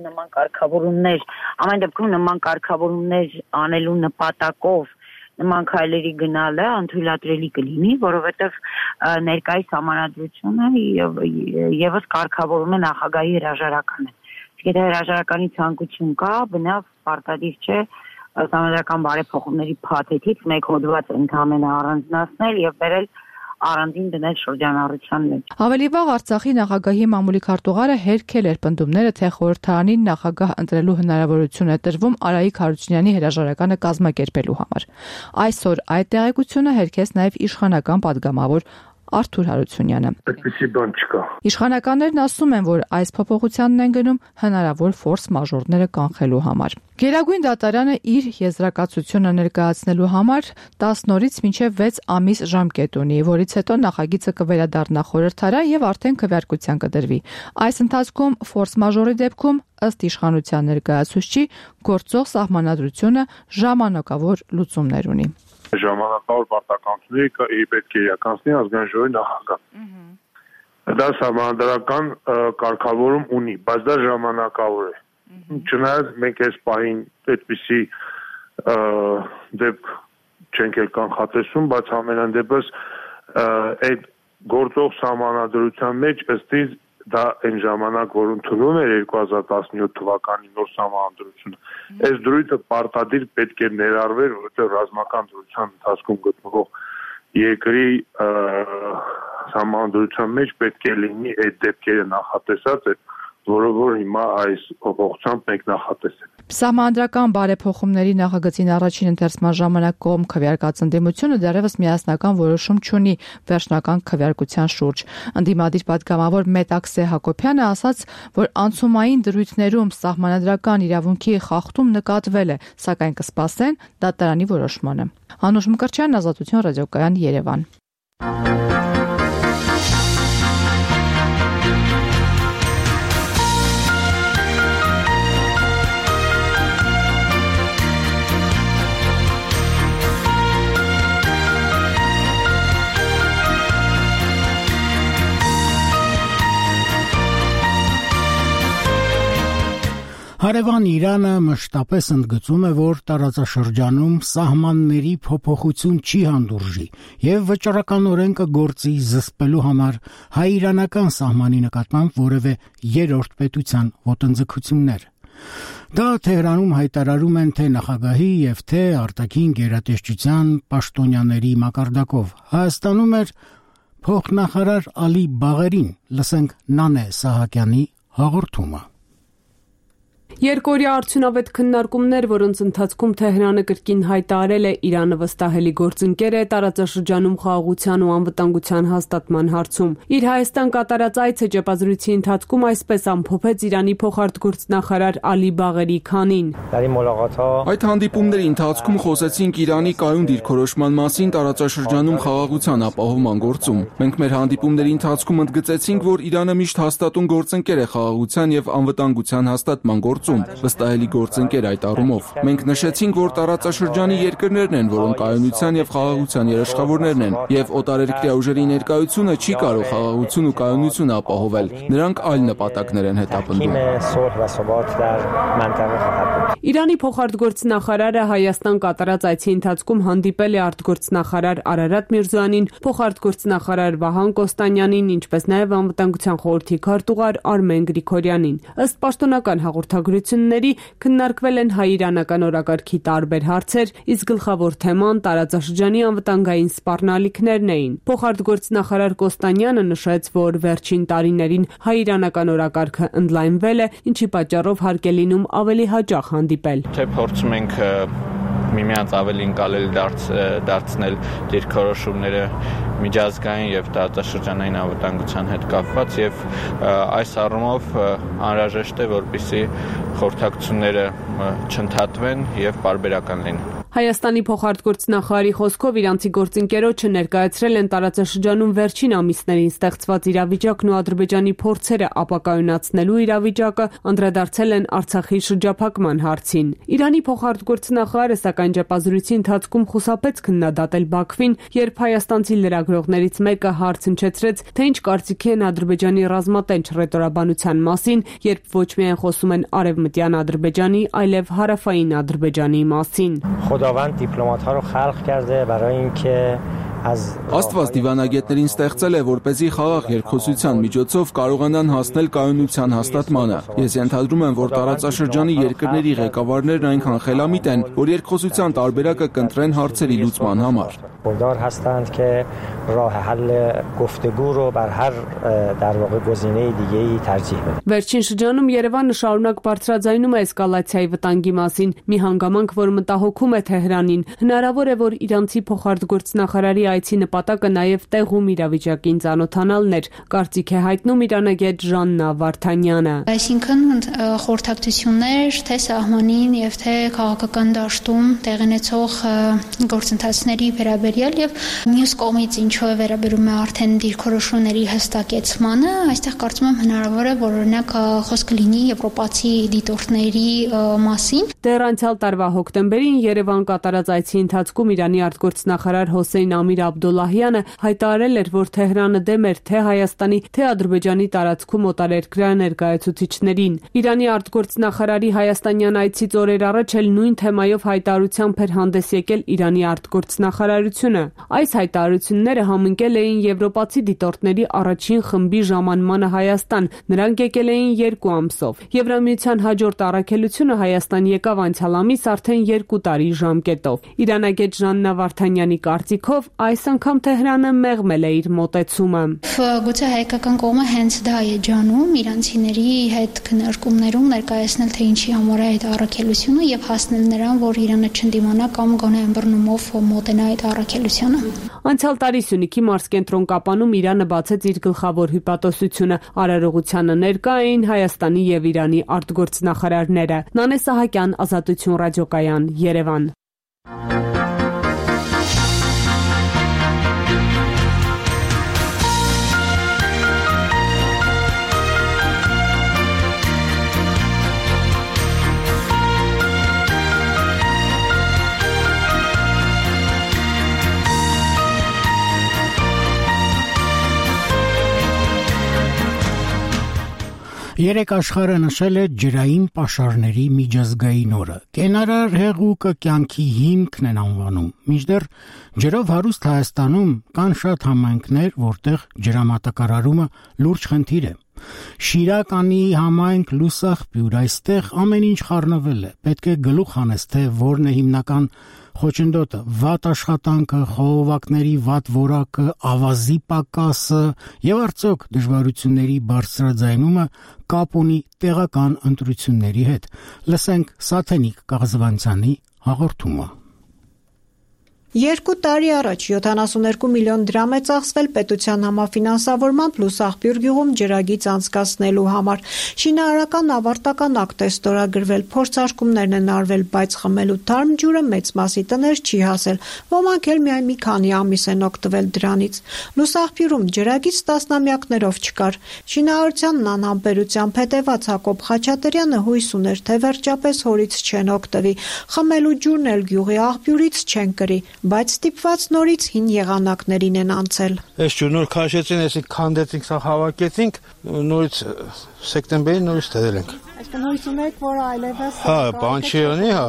Speaker 18: նման կարգավորումներ, ամեն դեպքում նման կարգավորումներ անելու նպատակով նման քայլերի գնալը անթույլատրելի կլինի, որովհետև ներկայիս համանadrությունը եւս կարգավորում է նախագահի հրաժարականը։ Եթե հրաժարականի ցանկություն կա, բնավ պարտադիր չէ համանդրական բարեփոխումների փաթեթից մեկ հոդված ընդհանրապես առանձնացնել եւ վերել առանձին դնել շրջանառության մեջ։
Speaker 17: Ավելի վաղ Արցախի նախագահի մամուլի քարտուղարը հերքել էր պնդումները, թե խորհրդարանին նախագահ ընտրելու հնարավորություն է տրվում Արայիկ Հարությունյանի հրաժարականը կազմակերպելու համար։ Այսօր այդ տեղեկությունը հերքեց նաև իշխանական падգամավոր Արթուր Հարությունյանը։
Speaker 19: Այդպիսի բան չկա։
Speaker 17: Իշխանականներն ասում են, որ այս փոփոխությանն են գնում հնարավոր ֆորս մաժորները կանխելու համար։ Գերագույն դատարանը իր եզրակացությունը ներկայացնելու համար տասն օրից մինչև վեց ամիս ժամկետ ունի, որից հետո նախագիծը կվերադառնա խորհրդարան եւ արդեն քվեարկության կդրվի։ Այս ընթացքում ֆորս մաժորի դեպքում ըստ իշխանության ներկայացուցչի գործող սահմանադրությունը ժամանակավոր լուծումներ ունի։
Speaker 19: Ժամանակավոր պարտականությունների պետք է իրականացնի ազգային ժողովի նախագահ։ Դա սահմանադրական կարգավորում ունի, բայց դա ժամանակավոր է։ Չնայած մենք այս պահին այդպիսի դեպք չենք էլ կանխատեսում, բայց ամենայն դեպս այդ գործող սահմանադրության մեջ ըստ իս դա այն ժամանակ, որ ընդունվում էր երկու հազար տասնյոթ թվականի նոր սահմանադրությունը, այս դրույթը պարտադիր պետք է ներառվեր, որովհետև ռազմական դրության ընթացքում գտնվող երկրի սահմանադրության մեջ պետք է լինի այդ դեպքերը նախատեսած, որը որ հիմա այս փոփոխությամբ մենք նախատեսել։
Speaker 17: Սահմանադրական բարեփոխումների նախագծին առաջին ընթերցման ժամանակ կողմ քվեարկած ընդդիմությունը դեռևս միասնական որոշում չունի վերջնական քվեարկության շուրջ։ Ընդդիմադիր падգամավոր Մետաքսե Հակոբյանը ասաց, որ անցումային դրույթներում սահմանադրական իրավունքի խախտում նկատվել է, սակայն կսպասեն դատարանի որոշմանը։ Անուշ Մկրտչյան, Ազատություն ռադիոկայան, Երևան։
Speaker 1: Հարևան Իրանը մշտապես ընդգծում է, որ տարածաշրջանում սահմանների փոփոխություն չի հանդուրժի եւ վճռականորեն կգործի զսպելու համար հայ-իրանական սահմանի նկատմամբ որևէ երրորդ պետության ոտնձգություններ։ Դա Թեհրանում հայտարարում են թե նախագահի եւ թե արտաքին գերատեսչության պաշտոնյաների մակարդակով։ Հայաստանում էր փոխնախարար Ալի Բաղերին, լսենք Նանե Սահակյանի հաղորդումը։
Speaker 20: Երկօրյա արդյունավետ քննարկումներ, որոնց ընթացքում Թեհրանը կրկին հայտարարել է Իրանը վստահելի գործընկեր է տարածաշրջանում խաղաղության ու անվտանգության հաստատման հարցում։ Իր Հայաստան կատարած այցը ճեպազրույցի ընթացքում այսպես ամփոփեց Իրանի փոխարտգործնախարար Ալի Բաղերի Քանին։
Speaker 7: Այդ հանդիպումների ընթացքում խոսեցինք Իրանի կայուն դիրքորոշման մասին տարածաշրջանում խաղաղության ապահովման գործում։ Մենք մեր հանդիպումների ընթացքում ընդգծեցինք, որ Իրանը միշտ հաստատուն գործընկեր է խաղաղության եւ անվտանգության հաստատման գործում գործում, վստահելի գործընկեր այդ առումով։ Մենք նշեցինք, որ տարածաշրջանի երկրներն են, որոնք կայունության եւ խաղաղության երաշխավորներն են, եւ օտարերկրյա ուժերի ներկայությունը չի կարող խաղաղություն ու կայունություն ապահովել։ Նրանք այլ նպատակներ են հետապնդում։
Speaker 20: Իրանի փոխարտգործնախարարը Հայաստան կատարած այցի ընթացքում հանդիպել է արտգործնախարար Արարատ Միրզոյանին, փոխարտգործնախարար Վահան Կոստանյանին, ինչպես նաև անվտանգության խորհրդի քարտուղար Արմեն Գրիգորյանին։ Ըստ պաշտոնական հաղորդագրությունների քննարկվել են հայ-իրանական օրակարգի տարբեր հարցեր, իսկ գլխավոր թեման տարածաշրջանի անվտանգային սպառնալիքներն էին։ Փոխարտգործնախարար Կոստանյանը նշեց, որ վերջին տարիներին հայ-իրանական օրակարգը ընդլայնվել է, ինչի պատճառով հարկ է լինում ավելի հաճախ հանդիպել։
Speaker 2: Թե փորձում ենք միմյանց ավելի ընկալելի դարձ, դարձնել դիրքորոշումները միջազգային եւ տարածաշրջանային անվտանգության հետ կապված եւ այս առումով անհրաժեշտ է, որպեսզի խորհրդակցությունները չընդհատվեն եւ պարբերական լինեն։
Speaker 20: Հայաստանի փոխարտգործնախարարի խոսքով իրանցի գործընկերոջը ներկայացրել են տարածաշրջանում վերջին ամիսներին ստեղծված իրավիճակն ու Ադրբեջանի փորձերը ապակայունացնելու իրավիճակը, անդրադարձել են Արցախի շրջափակման հարցին։ Իրանի փոխարտգործնախարարը սակայն ճեպազրույցի ընթացքում խուսափեց քննադատել Բաքվին, երբ հայաստանցի լրագրողներից մեկը հարց հնչեցրեց, թե ինչ կարծիքի են Ադրբեջանի ռազմատենչ ռետորաբանության մասին, երբ ոչ միայն խոսում են արևմտյան Ադրբեջանի, այլև հարավային Ադրբեջանի մասին։
Speaker 21: خداوند دیپلمات‌ها رو خلق کرده برای اینکه
Speaker 7: Աստված դիվանագետներին ստեղծել է, որպեսզի խաղաղ երկխոսության միջոցով կարողանան հասնել կայունության հաստատմանը։ Ես ենթադրում եմ, որ տարածաշրջանի երկրների ղեկավարներն այնքան խելամիտ են, որ երկխոսության տարբերակը կընտրեն հարցերի լուծման համար։
Speaker 21: خوددار هستند که راه حل گفتگو رو بر هر در واقع گزینه دیگه‌ای ترجیح بدن.
Speaker 20: Վերջին շրջանում Երևանը շարունակ բարձրաձայնում է էսկալացիայի վտանգի մասին, մի հանգամանք, որ մտահոգում է Թեհրանին։ Հնարավոր է, որ իրանցի փոխարտգործնախարարի այցի նպատակը նաև տեղում իրավիճակին ծանոթանալն էր, կարծիք է հայտնում իրանագետ Ժաննա Վարդանյանը։
Speaker 22: Այսինքն խորհրդակցություններ թե սահմանին եւ թե քաղաքական դաշտում տեղնեցող գործընթացների վերաբերյալ եւ մյուս կողմից ինչու է վերաբերում է արդեն դիրքորոշումների հստակեցմանը, այստեղ կարծում եմ հնարավոր է, որ օրինակ խոսքը լինի եվրոպացի դիտորդների մասին։
Speaker 20: Դեռ անցյալ տարվա հոկտեմբերին Երևան կատարած այցի ընթացքում Իրանի արտգործնախարար Հոսեյն Ամիր Աբդոլլահյանը հայտարարել էր, որ Թեհրանը դեմ էր թե Հայաստանի, թե Ադրբեջանի տարածքում օտարերկրյա ներկայացուցիչներին։ Իրանի արտգործնախարարի հայաստանյան այցից օրեր առաջ էլ նույն թեմայով հայտարարությամբ էր հանդես եկել Իրանի արտգործնախարարությունը։ Այս հայտարարությունները համընկել էին եվրոպացի դիտորդների առաջին խմբի ժամանմանը Հայաստան։ Նրանք եկել էին երկու ամսով։ Եվրամիության հաջորդ առաքելությունը Հայաստան եկավ անցյալ ամիս արդեն երկու տարի ժամկետով։ Իրանագետ Ժաննա Վարդանյանի կարծիքով այս անգամ Թեհրանը մեղմել է իր մոտեցումը։
Speaker 22: Գուցե հայկական կողմը հենց դա է ջանում իրանցիների հետ քննարկումներում ներկայացնել թե ինչի համար է այդ առաքելությունը եւ հասնել նրան, որ Իրանը չընդդիմանա կամ գոնե ըմբռնումով մոտենա այդ առաքելությանը։
Speaker 20: Անցյալ տարի Սյունիքի մարզկենտրոն Կապանում Իրանը բացեց իր գլխավոր հյուպատոսությունը։ Արարողությանը ներկա էին Հայաստանի եւ Իրանի արտգործնախարարները։ Նանե Սահակյան, Ազատություն ռադիոկայան, Երևան։
Speaker 1: Երեք աշխարհը նշել է ջրային պաշարների միջազգային օրը։ Կենարար հեղուկը կյանքի հիմքն են անվանում։ Մինչդեռ ջրով հարուստ Հայաստանում կան շատ համայնքներ, որտեղ ջրամատակարարումը լուրջ խնդիր է։ Շիրականի համայնք Լուսախպյուր, այստեղ ամեն ինչ խառնվել է։ Պետք է գլուխ անես, թե որն է հիմնական խոչընդոտը՝ վատ աշխատանքը, խողովակների վատ որակը, ավազի պակասը եւ արդյոք դժվարությունների բարձրաձայնումը կապ ունի տեղական ընտրությունների հետ։ Լսենք Սաթենիկ Կաղզվանցյանի հաղորդումը։
Speaker 3: Երկու տարի առաջ յոթանասուններկու միլիոն դրամ է ծախսվել պետության համաֆինանսավորմամբ Լուսաղբյուր գյուղում ջրագիծ անցկացնելու համար։ Շինարարական ավարտական ակտ է ստորագրվել, փորձարկումներն են արվել, բայց խմելու թարմ ջուրը մեծ մասի տներ չի հասել։ Ոմանք էլ միայն մի քանի ամիս են օգտվել դրանից։ Լուսաղբյուրում ջրագիծ տասնամյակներով չկար։ Շինարարությանն անհամբերությամբ հետևած Հակոբ Խաչատրյանը հույս ուներ, թե վերջապես հորից չեն օգտվի։ Խմելու ջուրն էլ գյուղի աղբյուրից չեն կրի, բայց ստիպված նորից հին եղանակներին են անցել։
Speaker 8: Այս ջուրը նոր քաշեցին, այսինք քանդեցինք, սա հավաքեցինք, նորից սեպտեմբերին նորից դրել ենք։
Speaker 3: Այսինքն հույս ունեք, որ այլևս
Speaker 8: Հա, բան չի անի, հա,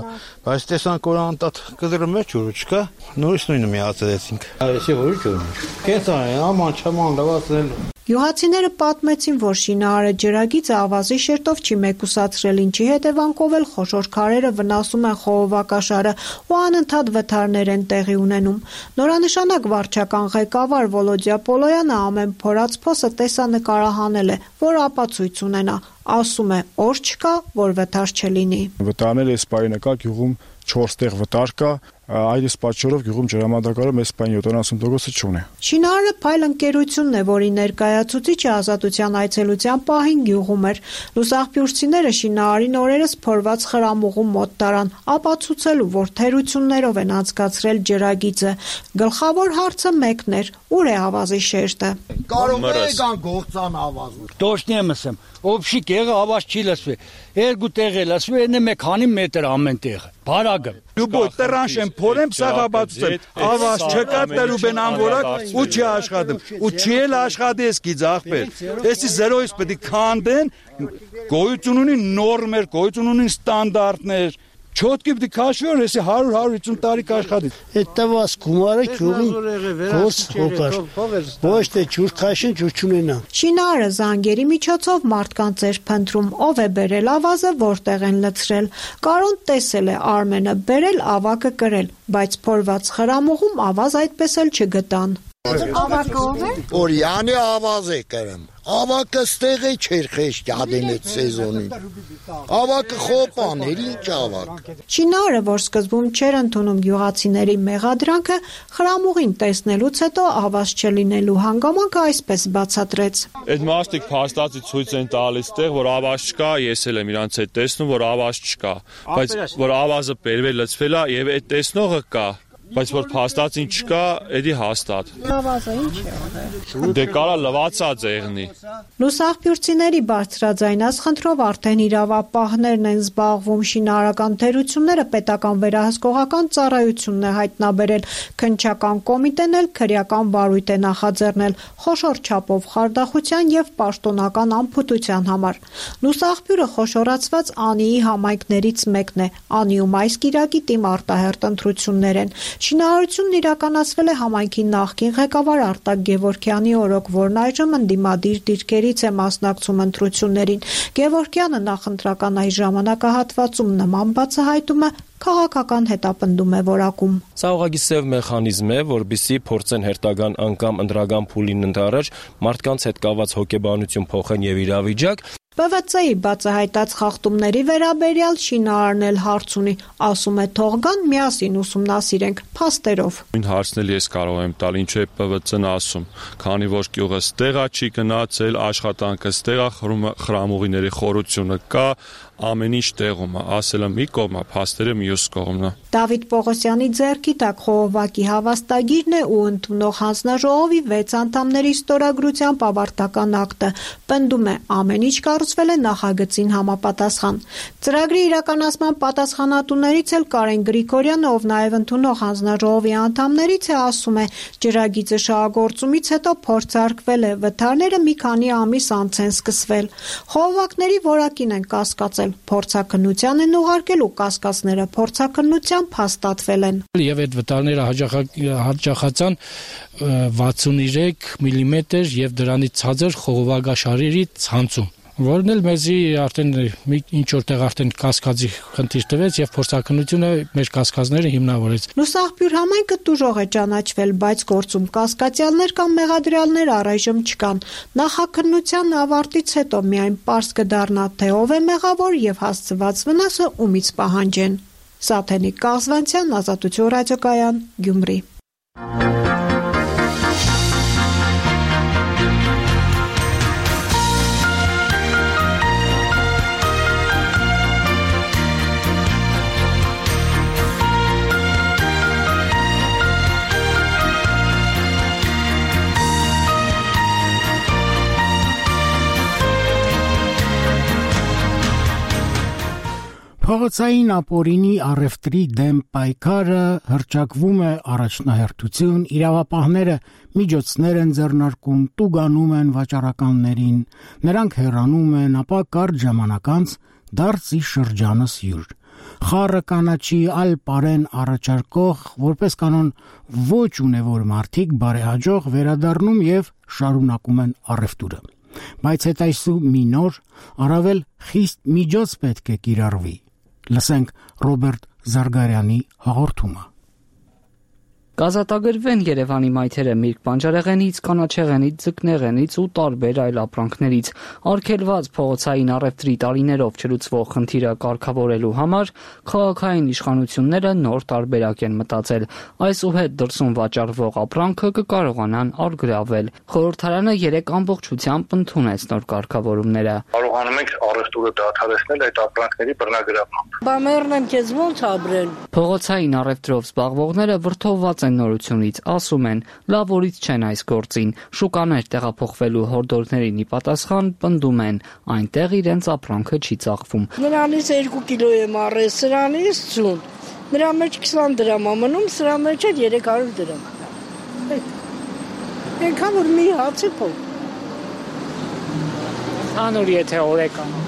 Speaker 8: բայց տեսանք որ անտատ կդրում է ջուրը չկա, նորից նույնը միացրեցինք։ Այսի որ ջուրը։ Կենցան, աման չաման լավացնել։
Speaker 3: Գյուղացիները պատմեցին, որ շինարարը ջրագիծը ավազի շերտով չի մեկուսացրել, ինչի հետևանքով էլ խոշոր քարերը վնասում են խողովակաշարը ու անընդհատ վթարներ են տեղի ունենում։ Նորանշանակ վարչական ղեկավար Վոլոդյա Պոլոյանը ամեն փորած փոսը տեսանկարահանել է, որ ապացույց ունենա։ Ասում է, օր չկա, որ վթար չլինի։
Speaker 23: Վտարները այս պահին կա գյուղում չորս տեղ վտար կա, այս պատճառով գյուղում ջրամատակարարը մեծ պայն յոթանասուն տոկոս չունի։
Speaker 3: Շինարարը Փայլ ընկերությունն է, որի ներկայացուցիչը ազատության այցելության պահին գյուղում էր։ Լուսաղբյուրցիները շինարարին օրերս փորված խրամուղում մոտ տարան, ապացուցելու, որ թերություններով են անցկացրել ջրագիծը։ Գլխավոր հարցը մեկն էր՝ ուր է ավազի շերտը։
Speaker 24: Կարող է կան գործան ավազը։
Speaker 25: Точно եմ ասեմ, օբշի կեղը ավազ չի լսվի։ Երկու տեղ է լսվի, այնը մի քանի մետր ամեն տեղը։ Բարագը։
Speaker 26: Դու տրանշ եմ փորեմ սաղաբացեմ, ավազ չկա տրուբեն անորակ ու չի աշխատում։ Ու չի էլ աշխատես գիծ ախպեր։ Էսի զերոյից պետք է քանդեն, գոյություն ունի նորմեր, գոյություն ունի ստանդարտներ։ Չոտքի պիտի քաշվի, որ էսի հարյուր հարյուր հիսուն տարի կաշխատի։
Speaker 24: Այդ տված գումարը ջուրին գործ հոգար։ Ոչ թե ջուր քաշին, ջուր չունենա։
Speaker 3: Շինարարը զանգերի միջոցով մարդկանց էր փնտրում, ով է բերել ավազը, որտեղ են լցրել։ Կարոն տեսել է Արմենը, բերել ավակը կրել, բայց փորված խրամուղում ավազ այդպես էլ չգտան։
Speaker 24: Ավակը ով է։ Օրյանի ավազ է կրեմ։ Ավակը ստեղի չէր խեշտ ադենեց սեզոնին։ Ավակը խոպան էր, ինչ ավակ։
Speaker 3: Շինարարը, որ սկզբում չէր ընդունում գյուղացիների մեղադրանքը, խրամուղին տեսնելուց հետո ավազ չլինելու հանգամանքը այսպես բացատրեց։
Speaker 27: Այդ մարդիկ փաստացի ցույց են տալիս տեղ, որ ավազ չկա, ես էլ եմ իրանց հետ տեսնում, որ ավազ չկա, բայց որ ավազը բերվել լցվել է եւ այդ տեսնողը կա։ Բայց որ փաստացին չկա, էդի հաստատ։
Speaker 3: Ավազը ինչ է եղել։
Speaker 27: Դե կարա լվացած եղնի։
Speaker 3: Լուսաղբյուրցիների բարձրաձայն ասխնդրով արդեն իրավապահներն են զբաղվում, շինարարական թերությունները պետական վերահսկողական ծառայությունն է հայտնաբերել, քննչական կոմիտեն էլ քրեական վարույթ է նախաձեռնել խոշոր չափով խարդախության եւ պաշտոնական անփութության համար։ Լուսաղբյուրը խոշորացված Անիի համայնքներից մեկն է։ Անիում այս կիրակի տիմ արտահերտ ընտրություններ են։ Շինարարությունն իրականացվել է համայնքի նախկին ղեկավար Արտակ Գևորգյանի օրոք, որն այժմ ընդդիմադիր դիրքերից է մասնակցում ընտրություններին։ Գևորգյանը նախընտրական այս ժամանակահատվածում նման բացահայտումը քաղաքական հետապնդում է որակում։
Speaker 28: Սա ուղղակի սև մեխանիզմ է, որբիսի փորձեն հերթական անգամ ընդրական փուլին ընդառաջ մարդկանց հետ կապված հոգեբանություն փոխեն եւ իրավիճակ։
Speaker 3: Պ V C-ի բացահայտած խախտումների վերաբերյալ շինարարն էլ հարց ունի, ասում է թող գան միասին ուսումնասիրենք փաստերով։
Speaker 27: Նույն հարցն էլ ես կարող եմ տալ, ինչ է Պ V C-ն ասում, քանի որ գյուղը ստեղա չի գնացել, աշխատանքը ստեղա, խրամուղիների խորությունը կա, ամեն ինչ տեղում է, ասելը մի կողմ է, փաստերը մյուս կողմն է։
Speaker 3: Դավիթ Պողոսյանի ձեռքի տակ խողովակի հավաստագիրն է ու ընդունող հանձնաժողովի վեց անդամների ստորագրությամբ ավարտական ակտը։ Պնդում է, ամեն ինչ կառուցվել է նախագծին համապատասխան։ Ծրագրի իրականացման պատասխանատուներից էլ Կարեն Գրիգորյանը, ով նաև ընդունող հանձնաժողովի անդամներից է, ասում է, ջրագիծը շահագործումից հետո փորձարկվել է, վթարները մի քանի ամիս անց են սկսվել։ Խողովակների որակին են կասկածել, փորձաքննության են ուղարկել ու կասկածները փորձաքննությամբ հաստատվել են։
Speaker 16: Եվ այդ վտարները հաճախացան վաթսուններեք միլիմետր եւ դրանից ցածր խողովակաշարերի ցանցում, որն էլ մեզի արդեն մի ինչ որտեղ արդեն կասկածի խնդիր տվեց եւ փորձաքննությունը մեր կասկածները հիմնավորեց։
Speaker 3: Լուսաղբյուր համայնքը տուժող է ճանաչվել, բայց գործում կասկածյալներ կամ մեղադրյալներ առայժմ չկան։ Նախաքննության ավարտից հետո միայն պարզ կդառնա, թե ով է մեղավոր եւ հասցված վնասը ումից պահանջեն։ Սաթենիկ Կազվանցյան, Ազատություն ռադիոկայան, Գյումրի։
Speaker 1: Փողոցային ապօրինի առևտրի դեմ պայքարը հռչակվում է առաջնահերթություն, իրավապահները միջոցներ են ձեռնարկում, տուգանում են վաճառականներին, նրանք հեռանում են, ապա կարճ ժամանակ անց դարձի շրջանս յուր։ Խառը կանաչի այլ պարեն առաջարկող, որպես կանոն ոչ ունևոր մարդիկ բարեհաջող վերադառնում եւ շարունակում են առևտուրը։ Բայց հետայսու մի նոր, առավել խիստ միջոց պետք է կիրառվի։ Լսենք Ռոբերտ Զարգարյանի հաղորդումը։
Speaker 5: Կազատագրվեն Երևանի մայթերը միրգ բանջարեղենից, կանաչեղենից, ձկնեղենից ու տարբեր այլ ապրանքներից։ Արգելված փողոցային առևտրի տարիներով չլուծվող խնդիրը կարգավորելու համար քաղաքային իշխանությունները նոր տարբերակ են մտածել։ Այսուհետ դրսում վաճառվող ապրանքը կկարողանան առգրավել։ Խորհրդարանը երեք ամբողջությամբ ընդունեց նոր կարգավորումները։
Speaker 6: Կարողանում ենք առևտուրը դադարեցնել այդ ապրանքների բռնագրավմամբ։
Speaker 9: Բա մերն եմ քեզ ոնց ապրել։
Speaker 5: Փողոցային առևտրով զբաղվողները վրդովված են նորությունից, ասում են, լավ օրից չեն այս գործին, շուկաներ տեղափոխվելու հորդորներին ի պատասխան պնդում են, այնտեղ իրենց ապրանքը չի ծախվում։
Speaker 9: Նրանից երկու կիլո եմ առել, սրանից ութ, նրա մեջ քսան դրամ ա մնում, սրա մեջ էլ երեք հարյուր դրամ։ Այնքան որ մի հացի փող։
Speaker 5: Հանուր եթե օրեկան։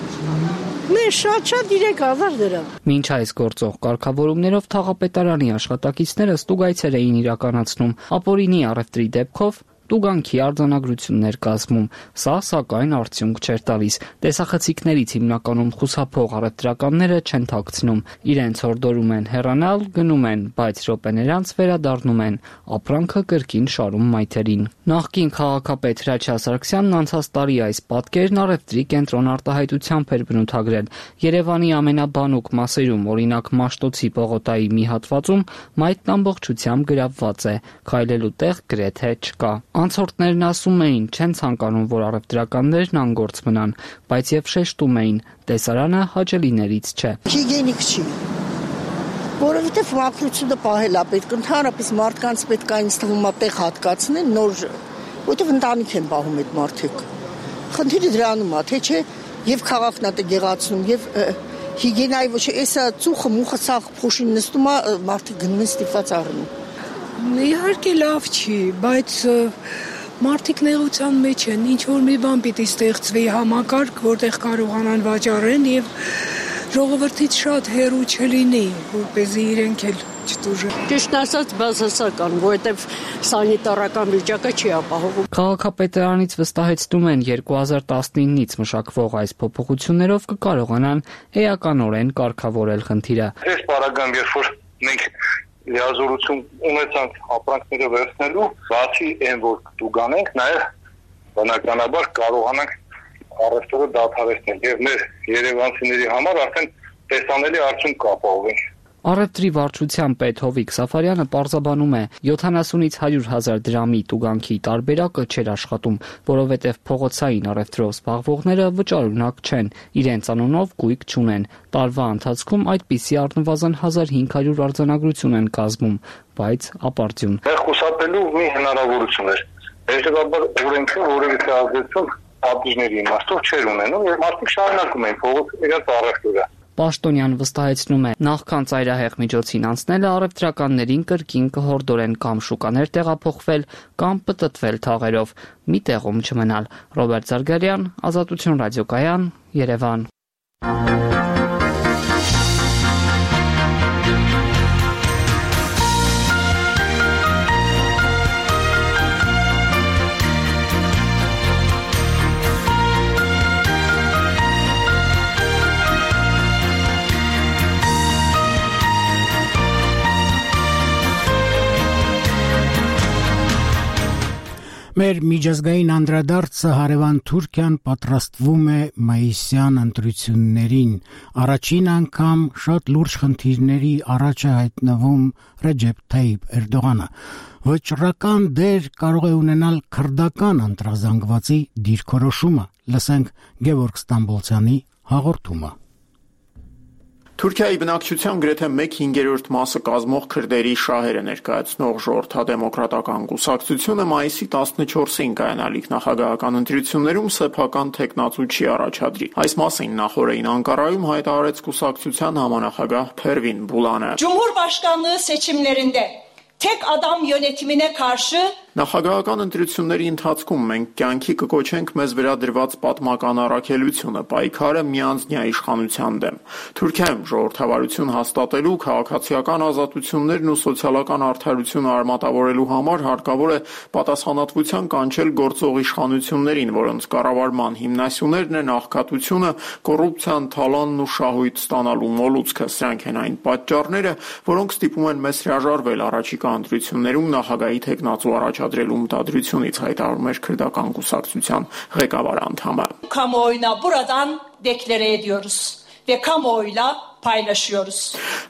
Speaker 9: Մեր շատ-շատ երեք հազար դրամ։
Speaker 5: Մինչ այս գործող կարգավորումներով թաղապետարանի աշխատակիցները ստուգայցեր էին իրականացնում ապօրինի առևտրի դեպքով տուգանքի արձանագրություններ կազմում։ Սա սակայն արդյունք չէր տալիս։ Տեսախցիկներից հիմնականում խուսափող առևտրականները չեն թաքցնում, իրենց հորդորում են հեռանալ, գնում են, բայց րոպեներ անց վերադառնում են, ապրանքը կրկին շարում մայթերին։ Նախկին քաղաքապետ Հրաչյա Սարգսյանն անցած տարի այս պատկերն առևտրի կենտրոն արտահայտությամբ էր բնութագրել։ Երևանի ամենաբանուկ մասերում, օրինակ Մաշտոցի պողոտայի մի հատվածում, մայթն ամբողջությամբ գրավված է, քայլելու տեղ գրեթե չկա։ Անցորդներն ասում էին, չեն ցանկանում, որ առևտրականներն անգործ մնան, բայց եւ շեշտում էին, տեսարանը հաճելիներից չէ։
Speaker 9: Հիգիենիկ չի։ Որովհետեւ մաքրությունը պահել է պետք, ընդհանրապես մարդկանց պետք է ինձ թվում է տեղ հատկացնել, նոր, որովհետեւ ընտանիք են պահում այդ մարդիկ։ Խնդիրը դրանում է, թե չէ, եւ քաղաքն է գեղացնում, եւ հիգիենայի ոչ, էսա ծուխը մուխը սաղ փոշին նստում է, մարդիկ գնում են ստիպված առնում։ Իհարկե լավ չի, բայց մարդիկ նեղության մեջ են, ինչ որ մի բան պիտի ստեղծվի համակարգ, որտեղ կարողանան վաճառեն եւ ժողովրդից շատ հեռու չլինի, որպեսզի իրենք էլ չտուժեն։ Ճիշտ ասած, բացասական, որովհետեւ սանիտարական վիճակը չի ապահովում։
Speaker 5: Քաղաքապետարանից վստահեցնում են երկու հազար տասնինից մշակվող այս փոփոխություններով կկարողանան էականորեն կարգավորել խնդիրը։
Speaker 6: Այս պարագայում երբ որ մենք լիազորություն ունեցանք ապրանքները վերցնելու, բացի այն որ տուգանենք, նաև բնականաբար կարողանանք առևտուրը դադարեցնել եւ մեր երևանցիների համար արդեն տեսանելի արդյունք կապահովենք։
Speaker 5: Առևտրի վարչության պետ Հովիկ Սաֆարյանը պարզաբանում է, յոթանասունից հարյուր հազար դրամի տուգանքի տարբերակը չէր աշխատում, որովհետև փողոցային առևտրով զբաղվողները վճարունակ չեն, իրենց անունով գույք չունեն։ Տարվա ընթացքում այդպիսի առնվազն հազար հինգ հարյուր արձանագրություն են կազմում, բայց ապարդյուն։
Speaker 6: Մեր խուսափելու մի հնարավորություն էր։ Հետևաբար օրենքը որևէ ազդեցություն ապրանքների իմաստով չէր ունենում եւ մարդիկ շարունակում էին փողոց իրենց առևտուրը։
Speaker 5: Պաշտոնյան վստահեցնում է, նախքան ծայրահեղ միջոցին անցնելը առևտրականներին կրկին կհորդորեն կամ շուկաներ տեղափոխվել, կամ պտտվել թաղերով, մի տեղում չմնալ։ Ռոբերտ Զարգարյան, Ազատություն ռադիոկայան, Երևան։
Speaker 1: Մեր միջազգային անդրադարձը հարևան Թուրքիան պատրաստվում է մայիսյան ընտրություններին։ Առաջին անգամ շատ լուրջ խնդիրների առաջ է հայտնվում Ռեջեփ Թայիփ Էրդողանը։ Վճռական դեր կարող է ունենալ քրդական ընտրազանգվածի դիրքորոշումը։ Լսենք Գևորգ Ստամբոլցյանի հաղորդումը։
Speaker 4: Թուրքիայի բնակչության գրեթե մեկ հինգերորդ մասը կազմող քրդերի շահերը ներկայացնող ժողովրդադեմոկրատական կուսակցությունը մայիսի տասնչորսին կայանալիք նախագահական ընտրություններում սեփական թեկնածու չի առաջադրի։ Այս մասին նախօրեին Անկարայում հայտարարեց կուսակցության համանախագահ Փերվին Բուլանը։
Speaker 10: Cumhurbaşkanlığı seçimlerinde tek adam yönetimine karşı
Speaker 4: Նախագահական ընտրությունների ընթացքում մենք կյանքի կկոչենք մեզ վերադրված պատմական առաքելությունը, պայքարը միանձնյա իշխանության դեմ։ Թուրքիայում ժողովրդավարություն հաստատելու, քաղաքացիական ազատություններն ու սոցիալական արդարությունը արմատավորելու համար հարկավոր է պատասխանատվության կանչել գործող իշխանություններին, որոնց կառավարման հիմնասյուներն են աղքատությունը, կոռուպցիան, թալանն ու շահույթ ստանալու մոլուցքը։ Սրանք են այն պատճառները, որոնք ստիպում են մեզ հրաժարվել առաջիկա ընտրություններում նախագահի թեկնածու առաջ Adrelum mutadrությունից հայտարարում էր քրդական կուսակցության ղեկավար անդամը։
Speaker 10: Kamuoyuna buradan deklare ediyoruz ve kamuoyuyla paylaşıyoruz.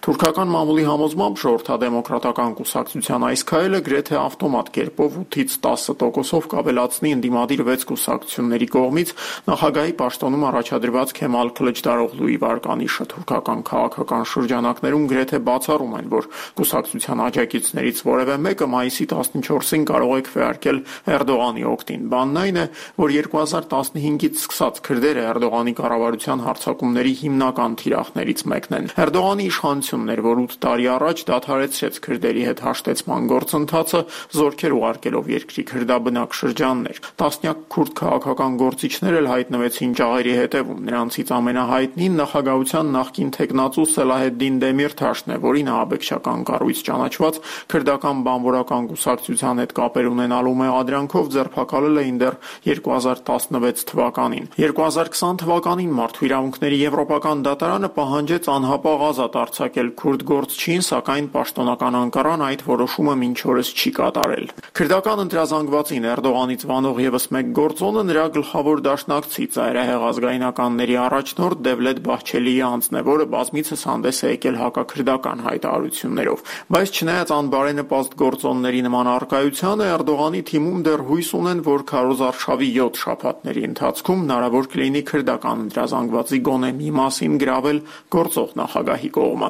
Speaker 4: Թուրքական մամուլի համոզմամբ ժողովրդադեմոկրատական կուսակցության այս քայլը գրեթե ավտոմատ կերպով ութից տասը տոկոսով կավելացնի ընդդիմադիր վեց կուսակցությունների կողմից նախագահի պաշտոնում առաջադրված Քեմալ Քլիչդարօղլուի վարկանիշը։ Թուրքական քաղաքական շրջանակներում գրեթե բացառում են, որ կուսակցության աջակիցներից որևէ մեկը մայիսի տասնչորսին կարող է քվեարկել Էրդողանի օգտին։ Բանն այն է, որ երկու հազար տասնհինգից սկսած քրդերը Էրդողանի կառավարության հարձակումների հիմնական թիրախներից մեկն են։ Էրդողանի իշխանությունն էր, որ ութ տարի առաջ դադարեցրեց քրդերի հետ հաշտեցման գործընթացը, զորքեր ուղարկելով երկրի քրդաբնակ շրջաններ։ Տասնյակ քուրդ քաղաքական գործիչներ էլ հայտնվեցին ճաղերի հետևում։ Նրանցից ամենահայտնին նախագահության նախկին թեկնածու Սելահեդդին Դեմիրթաշն է, որին ահաբեկչական կառույց ճանաչված քրդական բանվորական կուսակցության հետ կապեր ունենալու մեղադրանքով ձերբակալել էին դեռ երկու հազար տասնվեց թվականին։ երկու հազար քսան թվականին Մարդու իրավունքների եվրոպական դատարանը պահանջեց անհապաղ ազատ արձակել քուրդ գործչին, սակայն պաշտոնական Անկարան այդ որոշումը մինչ օրս չի կատարել։ Քրդական ընտրազանգվածին Էրդողանից վանող եւս մեկ գործոնը նրա գլխավոր դաշնակցի ծայրահեղ ազգայնականների առաջնորդ Դևլետ Բահչելիի անձն է, որը բազմիցս հանդես է եկել հակաքրդական հայտարարություններով։ Բայց չնայած անբարենպաստ գործոնների նման առկայությանը, Էրդողանի թիմում դեռ հույս ունեն, որ քարոզարշավի յոթ շաբաթների ընթացքում հնարավոր կլինի քրդական ընտրազանգվածի գոնե մի մասին գրավել գործող նախագահի կողմը։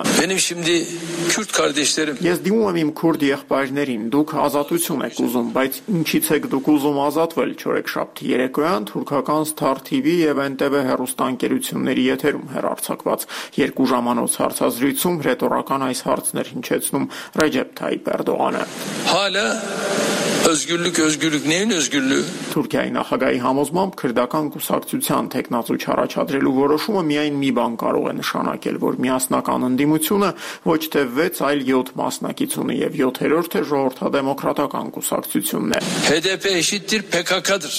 Speaker 4: Ես դիմում եմ իմ քուրդ եղբայրներին, դուք ազատություն եք ուզում, բայց ինչից եք դուք ուզում ազատվել։ Չորեքշաբթի երեկոյան թուրքական Star T V եւ N T V հեռուստաընկերությունների եթերում հեռարձակված երկու ժամանոց հարցազրույցում ռետորական այս հարցն էր հնչեցնում Ռեջեփ Թայիփ Էրդողանը։ Հալա özgürlük özgürlük neyin özgürlüğü? Թուրքիայի նախագահի համոզմամբ քրդական կուսակցության թեկնածու չառաջադրելու որոշումը միայն մի բան կարող է նշանակել, որ միասնական ընդդիմությունը ոչ թե վեց, այլ յոթ մասնակից ունի եւ յոթերորդը ժողովրդադեմոկրատական կուսակցությունն է։ H D P eşittir P K K'dır։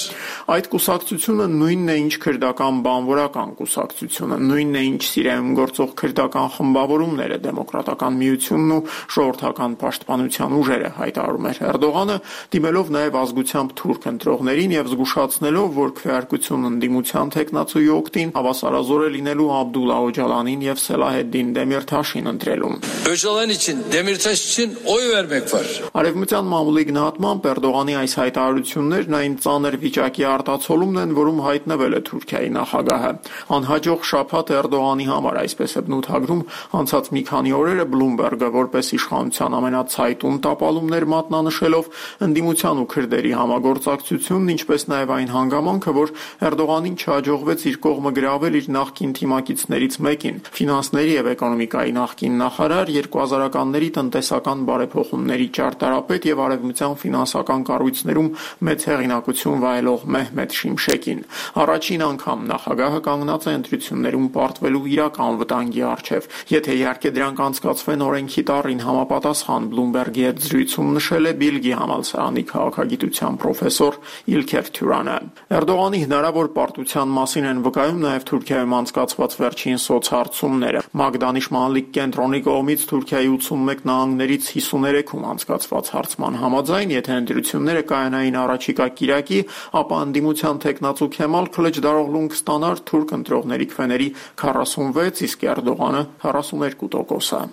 Speaker 4: Այդ կուսակցությունը նույնն է, ինչ քրդական բանվորական կուսակցությունը, նույնն է, ինչ Սիրիայում գործող քրդական խմբավորումները, դեմոկրատական միությունն ու ժողովրդական պաշտպանության ուժերը, հայտարարում էր Էրդողանը, դիմելով նաև ազգությամբ թուրք ընտրողներին եւ զգուշացնելով, որ քվեարկություն ընդդիմության թեկնածուի օգտին հավասարազոր է լինելու Աբդուլլա Օջալանին եւ Սելահեդդին Դեմիրթաշին ընտրելուն։ Օջալան için, Demirtaş için oy vermek var։ Արևմտյան մամուլի գնահատմամբ Էրդողանի այս հայտարարություններն այն ծանր վիճակի արտացոլումն են, որում հայտնվել է Թուրքիայի նախագահը։ Անհաջող շաբաթ Էրդողանի համար, այսպես է բնութագրում անցած մի քանի օրերը Bloomberg-ը, որպես իշխանության ամենացայտուն տապալումներ մատնանշելով ընդդիմության ու քրդերի համագործակցությունն, ինչպես նաև այն հանգամանքը, որ Էրդողանին չհաջողվեց իր կողմը գրավել իր նախկին թիմակիցներից մեկին, ֆինանսների եւ էկոնոմիկայի նախկին նախարար, երկու հազարականների տնտեսական բարեփոխումների ճարտարապետ եւ արևմտյան ֆինանսական կառույցներում մեծ հեղինակություն վայելող Մեհմեդ Շիմշեկին։ Առաջին անգամ նախագահը կանգնած է ընտրություններում պարտվելու իրական վտանգի առջև։ Եթե իհարկե դրանք անցկացվեն օրենքի տառին համապատասխան, Bloomberg-ի հետ զրույցում նշել է Բիլգի համալսարանի ինստիտուտի քաղաքագիտության պրոֆեսոր İlker Թյուրանը։ Էրդողանի հնարավոր պարտության մասին են վկայում նաև Թուրքիայում անցկացված վերջին սոցհարցումները։ Մագդանիշ-Մալիկ կենտրոնի կողմից Թուրքիայի ութսունմեկ նահանգներից հիսուներեքում անցկացված հարցման համաձայն, եթե ընտրությունները կայանային առաջիկա կիրակի, ապա ընդդիմության թեկնածու Քեմալ Քլիչդարօղլուն կստանար թուրք ընտրողների քվեների քառասունվեց, իսկ Էրդողանը քառասուներկու տոկոսը։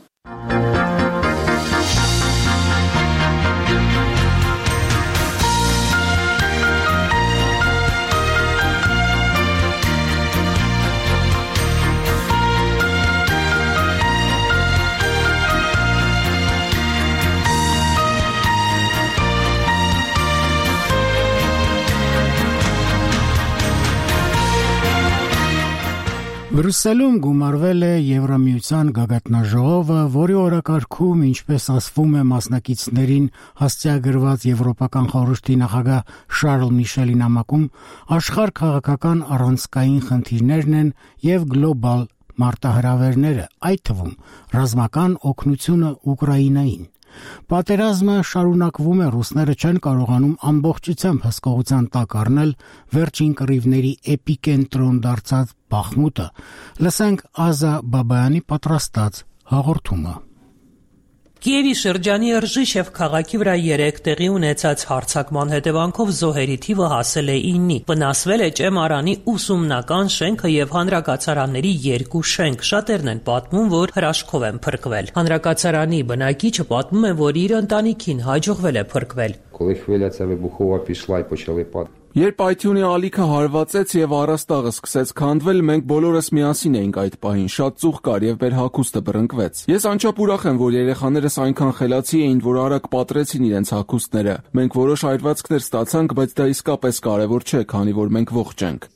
Speaker 1: Բրյուսելում գումարվել է Եվրամիության գագաթնաժողովը, որի օրակարգում, ինչպես ասվում է, մասնակիցներին հասցեագրված Եվրոպական խորհրդի նախագահ Շարլ Միշելի նամակում աշխարհ քաղաքական առանցքային խնդիրներն են եւ գլոբալ մարտահրավերները, այդ թվում ռազմական օգնությունը Ուկրաինային։ Պատերազմը շարունակվում է, ռուսները չեն կարողանում ամբողջությամբ հսկողության տակ առնել վերջին կռիվների էպիկենտրոն դարձած Բախմուտը։ Լսենք Ազա Բաբայանի պատրաստած հաղորդումը։
Speaker 11: Կիևի շրջանի Ռժիշև քաղաքի վրա երեք տեղի ունեցած հարձակման հետևանքով զոհերի թիվը հասել է իննի։ Վնասվել է Ճեմարանի ուսումնական շենքը եւ հանրակացարանների երկու շենք։ Շատերն են պատմում, որ հրաշքով են փրկվել։ Հանրակացարանի բնակիչը պատմում է, որ իր ընտանիքին հաջողվել է փրկվել։
Speaker 7: Երբ Այթյունի ալիքը հարվածեց եւ առաստաղը սկսեց քանդվել, մենք բոլորս միասին էինք այդ պահին, շատ ծուխ կար եւ մեր հագուստը բռնկվեց։ Ես անչափ ուրախ եմ, որ երեխաներս այնքան խելացի էին, որ արագ պատրեցին իրենց հագուստները։ Մենք որոշ այրվածքներ ստացանք, բայց դա իսկապես կարեւոր չէ, քանի որ մենք ողջ ենք։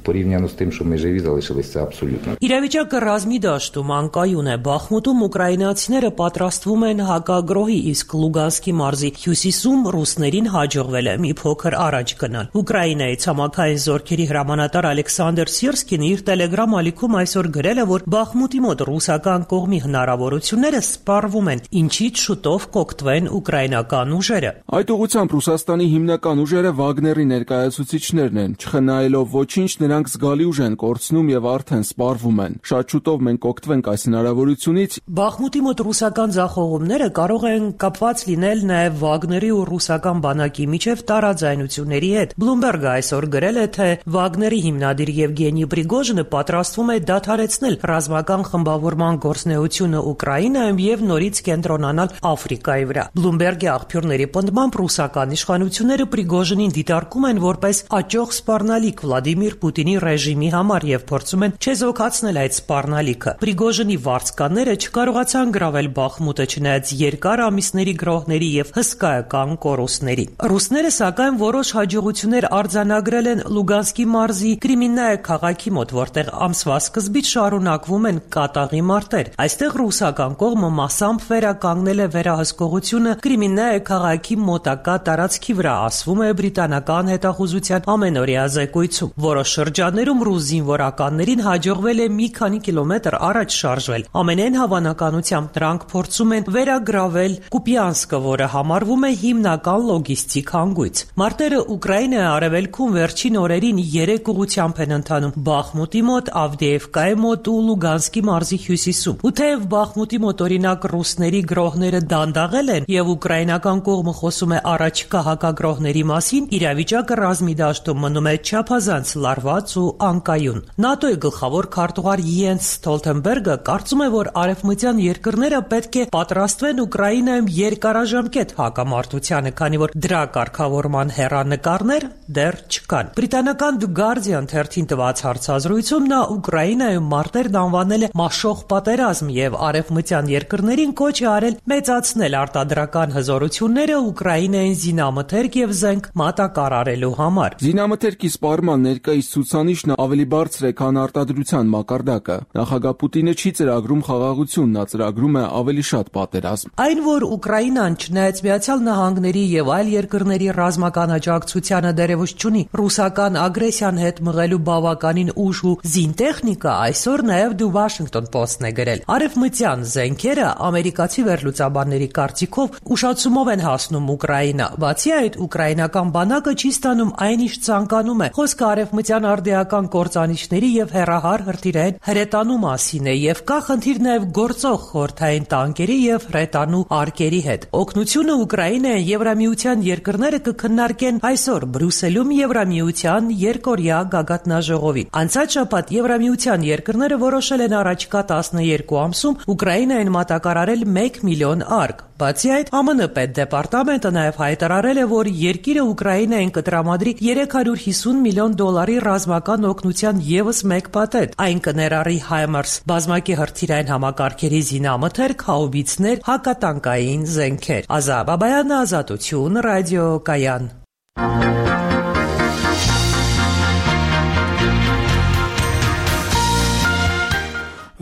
Speaker 12: порівняно з тим, що ми живі залишилися абсолютно.
Speaker 11: Իրավիճակը ռազմի դաշտում անկայուն է։ Բախմուտում ուկրաինացիները պատրաստվում են հակագրոհի, իսկ Լուգանսկի մարզի հյուսիսում ռուսներին հաջողվել է մի փոքր առաջ գնալ։ Ուկրաինայի ցամաքային զորքերի հրամանատար Ալեքսանդր Սիրսկին իր Telegram ալիքում այսօր գրել է, որ Բախմուտի մոտ ռուսական կողմի հնարավորությունները սպառվում են, ինչից շուտով կօգտվեն ուկրաինական ուժերը։
Speaker 7: Այդ ուղղությամբ Ռուսաստանի հիմնական ուժերը Վագների ներկայացուցիչներն են, չխնայելով ոչինչ, նրանք զգալի ուժ են կորցնում եւ արդեն սպառվում են։ Շատ շուտով մենք կօգտվենք այս հնարավորությունից։
Speaker 11: Բախմուտի մոտ ռուսական ձախողումները կարող են կապված լինել նաեւ Վագների ու ռուսական բանակի միջև տարաձայնությունների հետ։ Bloomberg-ը այսօր գրել է, թե Վագների հիմնադիր Եվգենի Պրիգոժինը պատրաստվում է դադարեցնել ռազմական խմբավորման գործունեությունը Ուկրաինայում եւ նորից կենտրոնանալ Աֆրիկայի վրա։ Bloomberg-ի աղբյուրների պնդմամբ ռուսական իշխանությունները Պրիգոժինին դիտարկում են որպես աճող սպառնալիք Վլադիմիր Պուտինի ռեժիմի համար եւ փորձում են չեզոքացնել այդ սպառնալիքը։ Պրիգոժինի վարձկանները չկարողացան գրավել Բախմուտը չնայած երկար ամիսների գրոհների եւ հսկայական կորուստների։ Ռուսները սակայն որոշ հաջողություններ արձանագրել են Լուգանսկի մարզի Կրիմիննայե քաղաքի մոտ, որտեղ ամսվա սկզբից շարունակվում են կատաղի մարտեր։ Այստեղ ռուսական կողմը մասամբ վերականգնել է վերահսկողությունը Կրիմիննայե քաղաքի մոտակա տարածքի վրա, ասվում է բրիտանական հետախուզության ամենօրյա զեկույցում։ Որոշ շրջաններում ռուս զինվորականներին հաջողվել է մի քանի կիլոմետր առաջ շարժվել։ Ամենայն հավանականությամբ նրանք փորձում են վերագրավել Կուպյանսկը, որը համարվում է հիմնական լոգիստիկ հանգույց։ Մարտերը Ուկրաինայի արևելքում վերջին օրերին երեք ուղղությամբ են ընթանում՝ Բախմուտի մոտ, Ավդեևկայի մոտ ու Լուգանսկի մարզի հյուսիսում։ Ու թեև Բախմուտի մոտ օրինակ ռուսների գրոհները դանդաղել են եւ ուկրաինական կողմը խոսում է առաջիկա հակագրոհների մասին, իրավիճակը ռազմի դաշտում մնում է չափազանց լարված ու անկայուն։ ՆԱՏՕ-ի գլխավոր քարտուղար Յենս Ստոլտենբերգը կարծում է, որ արևմտյան երկրները պետք է պատրաստվեն Ուկրաինայում երկարաժամկետ հակամարտությանը, քանի որ դրա կարգավորման հեռանկարներ դեռ չկան։ Բրիտանական The Guardian թերթին տված հարցազրույցում նա Ուկրաինայում մարտերն անվանել է մաշող պատերազմ եւ արևմտյան երկրներին կոչ է արել մեծացնել արտադրական հզորությունները Ուկրաինային զինամթերք եւ զենք մատակարարելու համար։
Speaker 7: Զինամթերքի սպառման ներկայիս ցույց ցուցանիշն ավելի բարձր է, քան արտադրության մակարդակը։ Նախագահ Պուտինը չի ծրագրում խաղաղություն, նա ծրագրում է ավելի շատ պատերազմ։
Speaker 11: Այն, որ Ուկրաինան չնայած Միացյալ Նահանգների եւ այլ երկրների ռազմական աջակցությանը դերևս չունի ռուսական ագրեսիան հետ մղելու բավականին ուժ ու զինտեխնիկա, այսօր նաեւ The Washington Post-ն է գրել։ Արևմտյան զենքերը ամերիկացի վերլուծաբանների կարծիքով ուշացումով են հասնում Ուկրաինա։ Բացի այդ, ուկրաինական բանակը չի ստանում այն, ինչ ցանկանում է։ Խոսքը արևմտյան արդիական կործանիչների եւ հեռահար հրթիռային հրետանու մասին է եւ կա խնդիր նաեւ գործող խորհրդային տանկերի եւ հրետանու արկերի հետ։ Օգնությունը Ուկրաինային Եվրամիության երկրները կքննարկեն այսօր Բրյուսելում Եվրամիության երկօրյա գագաթնաժողովին։ Անցած շաբաթ Եվրամիության երկրները որոշել են առաջիկա տասներկու ամսում Ուկրաինային մատակարարել մեկ միլիոն արկ։ Բացի այդ, ԱՄՆ պետդեպարտամենտը նաև հայտարարել է, որ երկիրը Ուկրաինային կտրամադրի երեք հարյուր հիսուն միլիոն դոլարի ռազմական օգնության ևս մեկ փաթեթ։ Այն կներառի HIMARS բազմակի հրթիռային համակարգերի զինամթերք, հաուբիցներ, հակատանկային զենքեր։ Ազա Բաբայանը, Ազատություն, ռադիոկայան։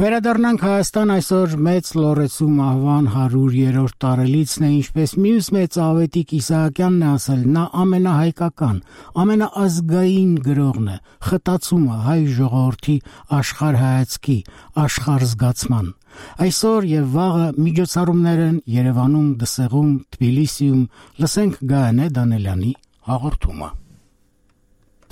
Speaker 1: Վերադառնանք Հայաստան, այսօր մեծ Լորեցու մահվան հարյուրերորդ տարելիցն է, ինչպես մյուս մեծ Ավետիք Իսահակյանն է ասել, նա ամենահայկական, ամենաազգային գրողն է, խտացումը հայ ժողովրդի աշխարհայացքի, աշխարհզգացման։ Այսօր եւ վաղը միջոցառումներ են Երևանում, Դսեղում, Թբիլիսիում, լսենք Գայանե Դանելյանի հաղորդումը։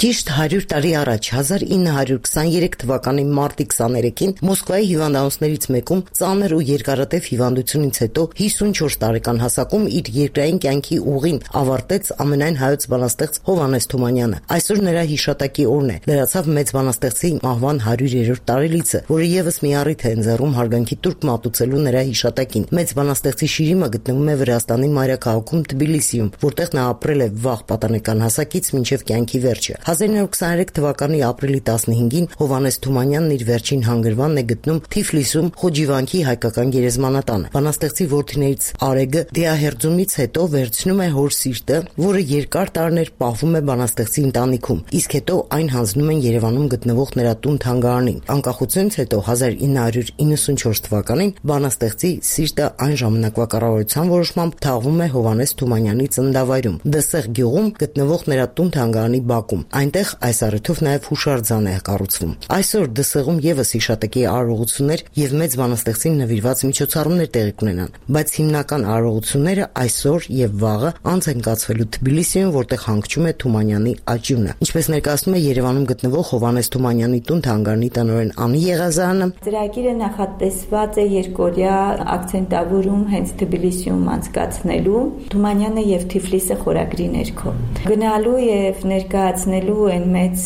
Speaker 2: Ճիշտ հարյուր տարի առաջ հազար ինը հարյուր քսաներեք թվականի մարտի քսաներեքին Մոսկվայի հիվանդանոցներից մեկում ծանր ու երկարատև հիվանդությունից հետո հիսունչորս տարեկան հասակում իր երկրային կյանքի ուղին ավարտեց ամենայն հայոց բանաստեղծ Հովհաննես Թումանյանը։ Այսօր նրա հիշատակի օրն է։ Լրացավ մեծ բանաստեղծի մահվան հարյուրերորդ տարելիցը, որը եւս մի առիթ է ընձեռում հարգանքի տուրք մատուցելու նրա հիշատակին։ Մեծ բանաստեղծի շիրիմը գտնվում է Վրաստանի մայրաքաղաքում Թբիլիսիում, որտեղ նա ապրել է վաղ պատանեկան հասակից մինչև կյանքի վերջը։ հազար ինը հարյուր քսաներեք թվականի ապրիլի տասնհինգին Հովհաննես Թումանյանն իր վերջին հանգրվանն է գտնում Թիֆլիսում Խոջիվանքի հայկական գերեզմանատանը։ Բանաստեղծի որդիներից Արեգը դիահերձումից հետո վերցնում է հոր սիրտը, որը երկար տարիներ պահվում է բանաստեղծի ընտանիքում, իսկ հետո այն հանձնում են Երևանում գտնվող նրա տուն-թանգարանին։ Անկախությունից հետո հազար ինը հարյուր իննսունչորս թվականին բանաստեղծի սիրտը այն ժամանակվա կառավարության որոշմամբ թաղվում է Հովհաննես Թումանյանի ծննդավայրում Դսեղ գյուղում գտնվող նրա տուն-թանգարանի բակում։ Այնտեղ այս առիթով նաև հուշարձան է կառուցվում։ Այսօր Դսեղում եւս հիշատակի արարողություններ եւ մեծ բանաստեղծին նվիրված միջոցառումներ տեղի կունենան, բայց հիմնական արարողությունները այսօր եւ վաղը անց են կացվելու Թբիլիսիում, որտեղ հանգչում է Թումանյանի աճյունը։ Ինչպես ներկայացնում է Երևանում գտնվող Հովհաննես Թումանյանի տուն-թանգարանի տնօրեն Անի Եղազարյանը,
Speaker 13: ծրագիրը նախատեսված է երկօրյա ակցենտավորում հենց Թբիլիսիում անցկացնելու Թումանյանը եւ Թիֆլիսը խորագրի ներքո։ Գնալու եւ ներկայացնելու են մեծ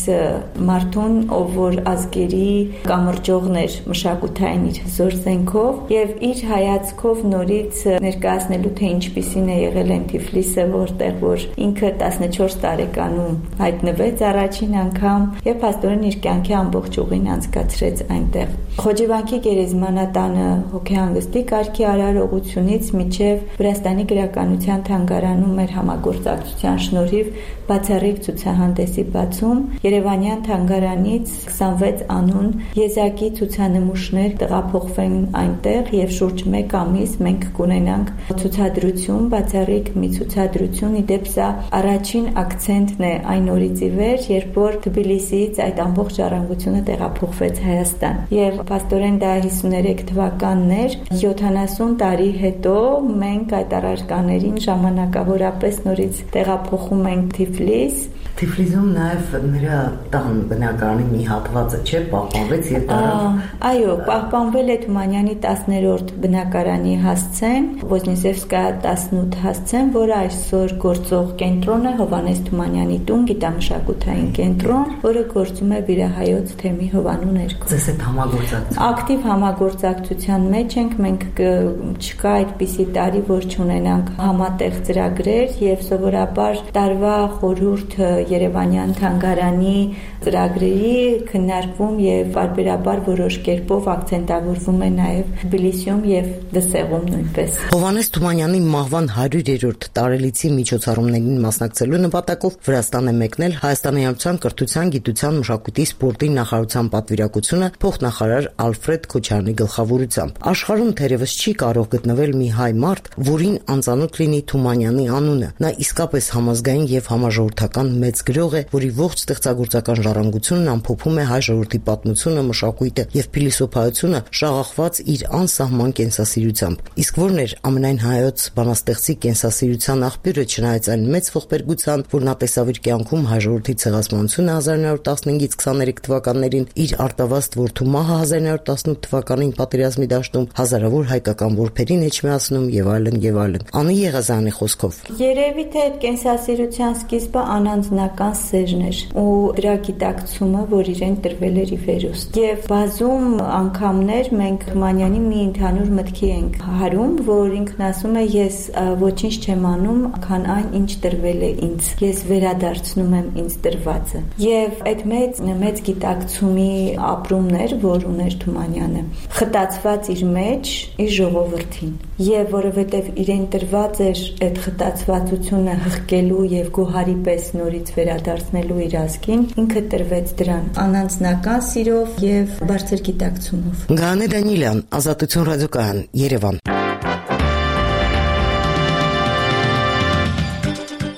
Speaker 13: մարդուն, ով որ ազգերի կամրջողն էր մշակութային իր հզոր զենքով եւ իր հայացքով նորից ներկայացնելու թե ինչպիսին է եղել են Թիֆլիսը, որտեղ որ ինքը տասնչորս տարեկանում հայտնվեց առաջին անգամ եւ փաստորեն իր կյանքի ամբողջ ուղին անցկացրեց այնտեղ։ Խոջիվանքի գերեզմանատանը հոգեհանգստի կարգի արարողությունից մինչև Վրաստանի գրականության թանգարանում մեր համագործակցության շնորհիվ բացառիկ ցուցահանդեսի բացում Երևանյան թանգարանից քսանվեց անուն եզակի ցուցանմուշներ տեղափոխվեն այնտեղ եւ շուրջ մեկ ամիս մենք կունենանք ցուցադրություն, բացառիկ մի ցուցադրություն, իդեպ սա առաջին ակցենտն է այն օրից ի վեր, երբ որ Թբիլիսիից այդ ամբողջ ժառանգությունը տեղափոխվեց Հայաստան։ Եվ փաստորեն դա հիսուներեք թվականն էր, յոթանասուն տարի հետո մենք այդ առարկաներին ժամանակավորապես նորից տեղափոխում ենք Թիֆլիս։
Speaker 2: Թիֆլիսում նաև նրա տան բնակարանի մի հատվածը չէ պահպանվեց եւ դառավ։
Speaker 13: Այո, պահպանվել է Թումանյանի տասներորդ բնակարանի հասցեն, Ոզնիսևսկայա տասնութ հասցեն, որը այսօր գործող կենտրոն է Հովհաննես Թումանյանի տուն, գիտամշակութային կենտրոն, որը գործում է Վիրահայոց թեմի հովանու ներքո։
Speaker 2: Ձեզ հետ համագործակցություն։
Speaker 13: Ակտիվ համագործակցության մեջ ենք, մենք չկա այդպիսի տարի, որ չունենանք համատեղ ծրագրեր եւ սովորաբար տարվա խորհուրդ Երևանյան Թումանյան թանգարանի ծրագրերի քննարկվում եւ բարբերաբար որոշ կերպով ակցենտավորվում է նաեւ Թբիլիսիում եւ Դսեղում նույնպես։
Speaker 2: Հովհաննես Թումանյանի մահվան հարյուրերորդ տարելիցի միջոցառումներին մասնակցելու նպատակով Վրաստան է մեկնել Հայաստանի Հանրության կրթության, գիտության, մշակույթի, սպորտի նախարարության պատվիրակությունը փոխնախարար Ալֆրեդ Քոչարյանի գլխավորությամբ։ Աշխարհում թերևս չի կարող գտնվել մի հայ մարդ, որին անծանոթ լինի Թումանյանի անունը։ Նա իսկապես համազգային եւ համաժողովրդական մեծ գրող է, որի ողջ ստեղծագործական ժառանգությունն ամփոփում է հայ ժողովրդի պատմությունը, մշակույթը եւ փիլիսոփայությունը, շաղախված իր անսահման կենսասիրությամբ։ Իսկ որն էր ամենայն հայոց բանաստեղծի կենսասիրության աղբյուրը, չնայած այն մեծ ողբերգության, որ նա տեսավ իր կյանքում հայ ժողովրդի ցեղասպանությունը հազար նոյ տասնհինգից քսաներեք թվականներին, իր արտավազդ որդու մահը հազար նոյ տասնութ թվականին պատերազմի դաշտում, հազարավոր հայկական որբերին էջմիացնում եւ այլն եւ այլն։ Անի Եղազյանի խոսքով։
Speaker 13: Երևի թե այդ կենսասիրության սկիզբը անանձնական սերն էր ու դրա գիտակցումը, որ իրեն տրվել էր ի վերուստ։ Եվ բազում անգամներ մենք Թումանյանի մի ընդհանուր մտքի ենք հարում, որ ինքն ասում է ես ոչինչ չեմ անում, քան այն, ինչ տրվել է ինձ։ Ես վերադարձնում եմ ինձ տրվածը։ Եվ այդ մեծ մեծ գիտակցումի ապրումն էր, որ ուներ Թումանյանը, խտացված իր մեջ իր ժողովրդին։ Եվ որովհետև իրեն տրված էր այդ խտացվածությունը հղկելու եւ գոհարի պես նորից վերադարձնելու իր ազգին, ինքը տրվեց դրան անանձնական սիրով եւ բարձր գիտակցումով։
Speaker 2: Գանե Դանիելյան, Ազատություն ռադիոկայան, Երևան։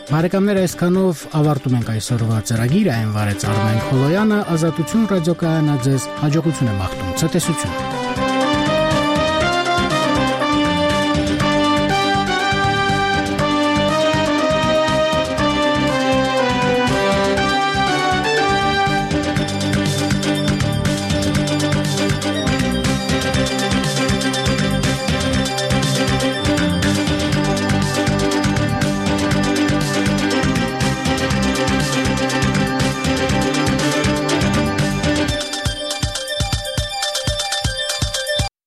Speaker 1: Բարեկամներ, այսքանով ավարտում ենք այսօրվա ծրագիրը, այն վարեց Արմեն Խոլոյանը, Ազատություն ռադիոկայանը ձեզ հաջողություն է մաղթում, ցտեսություն։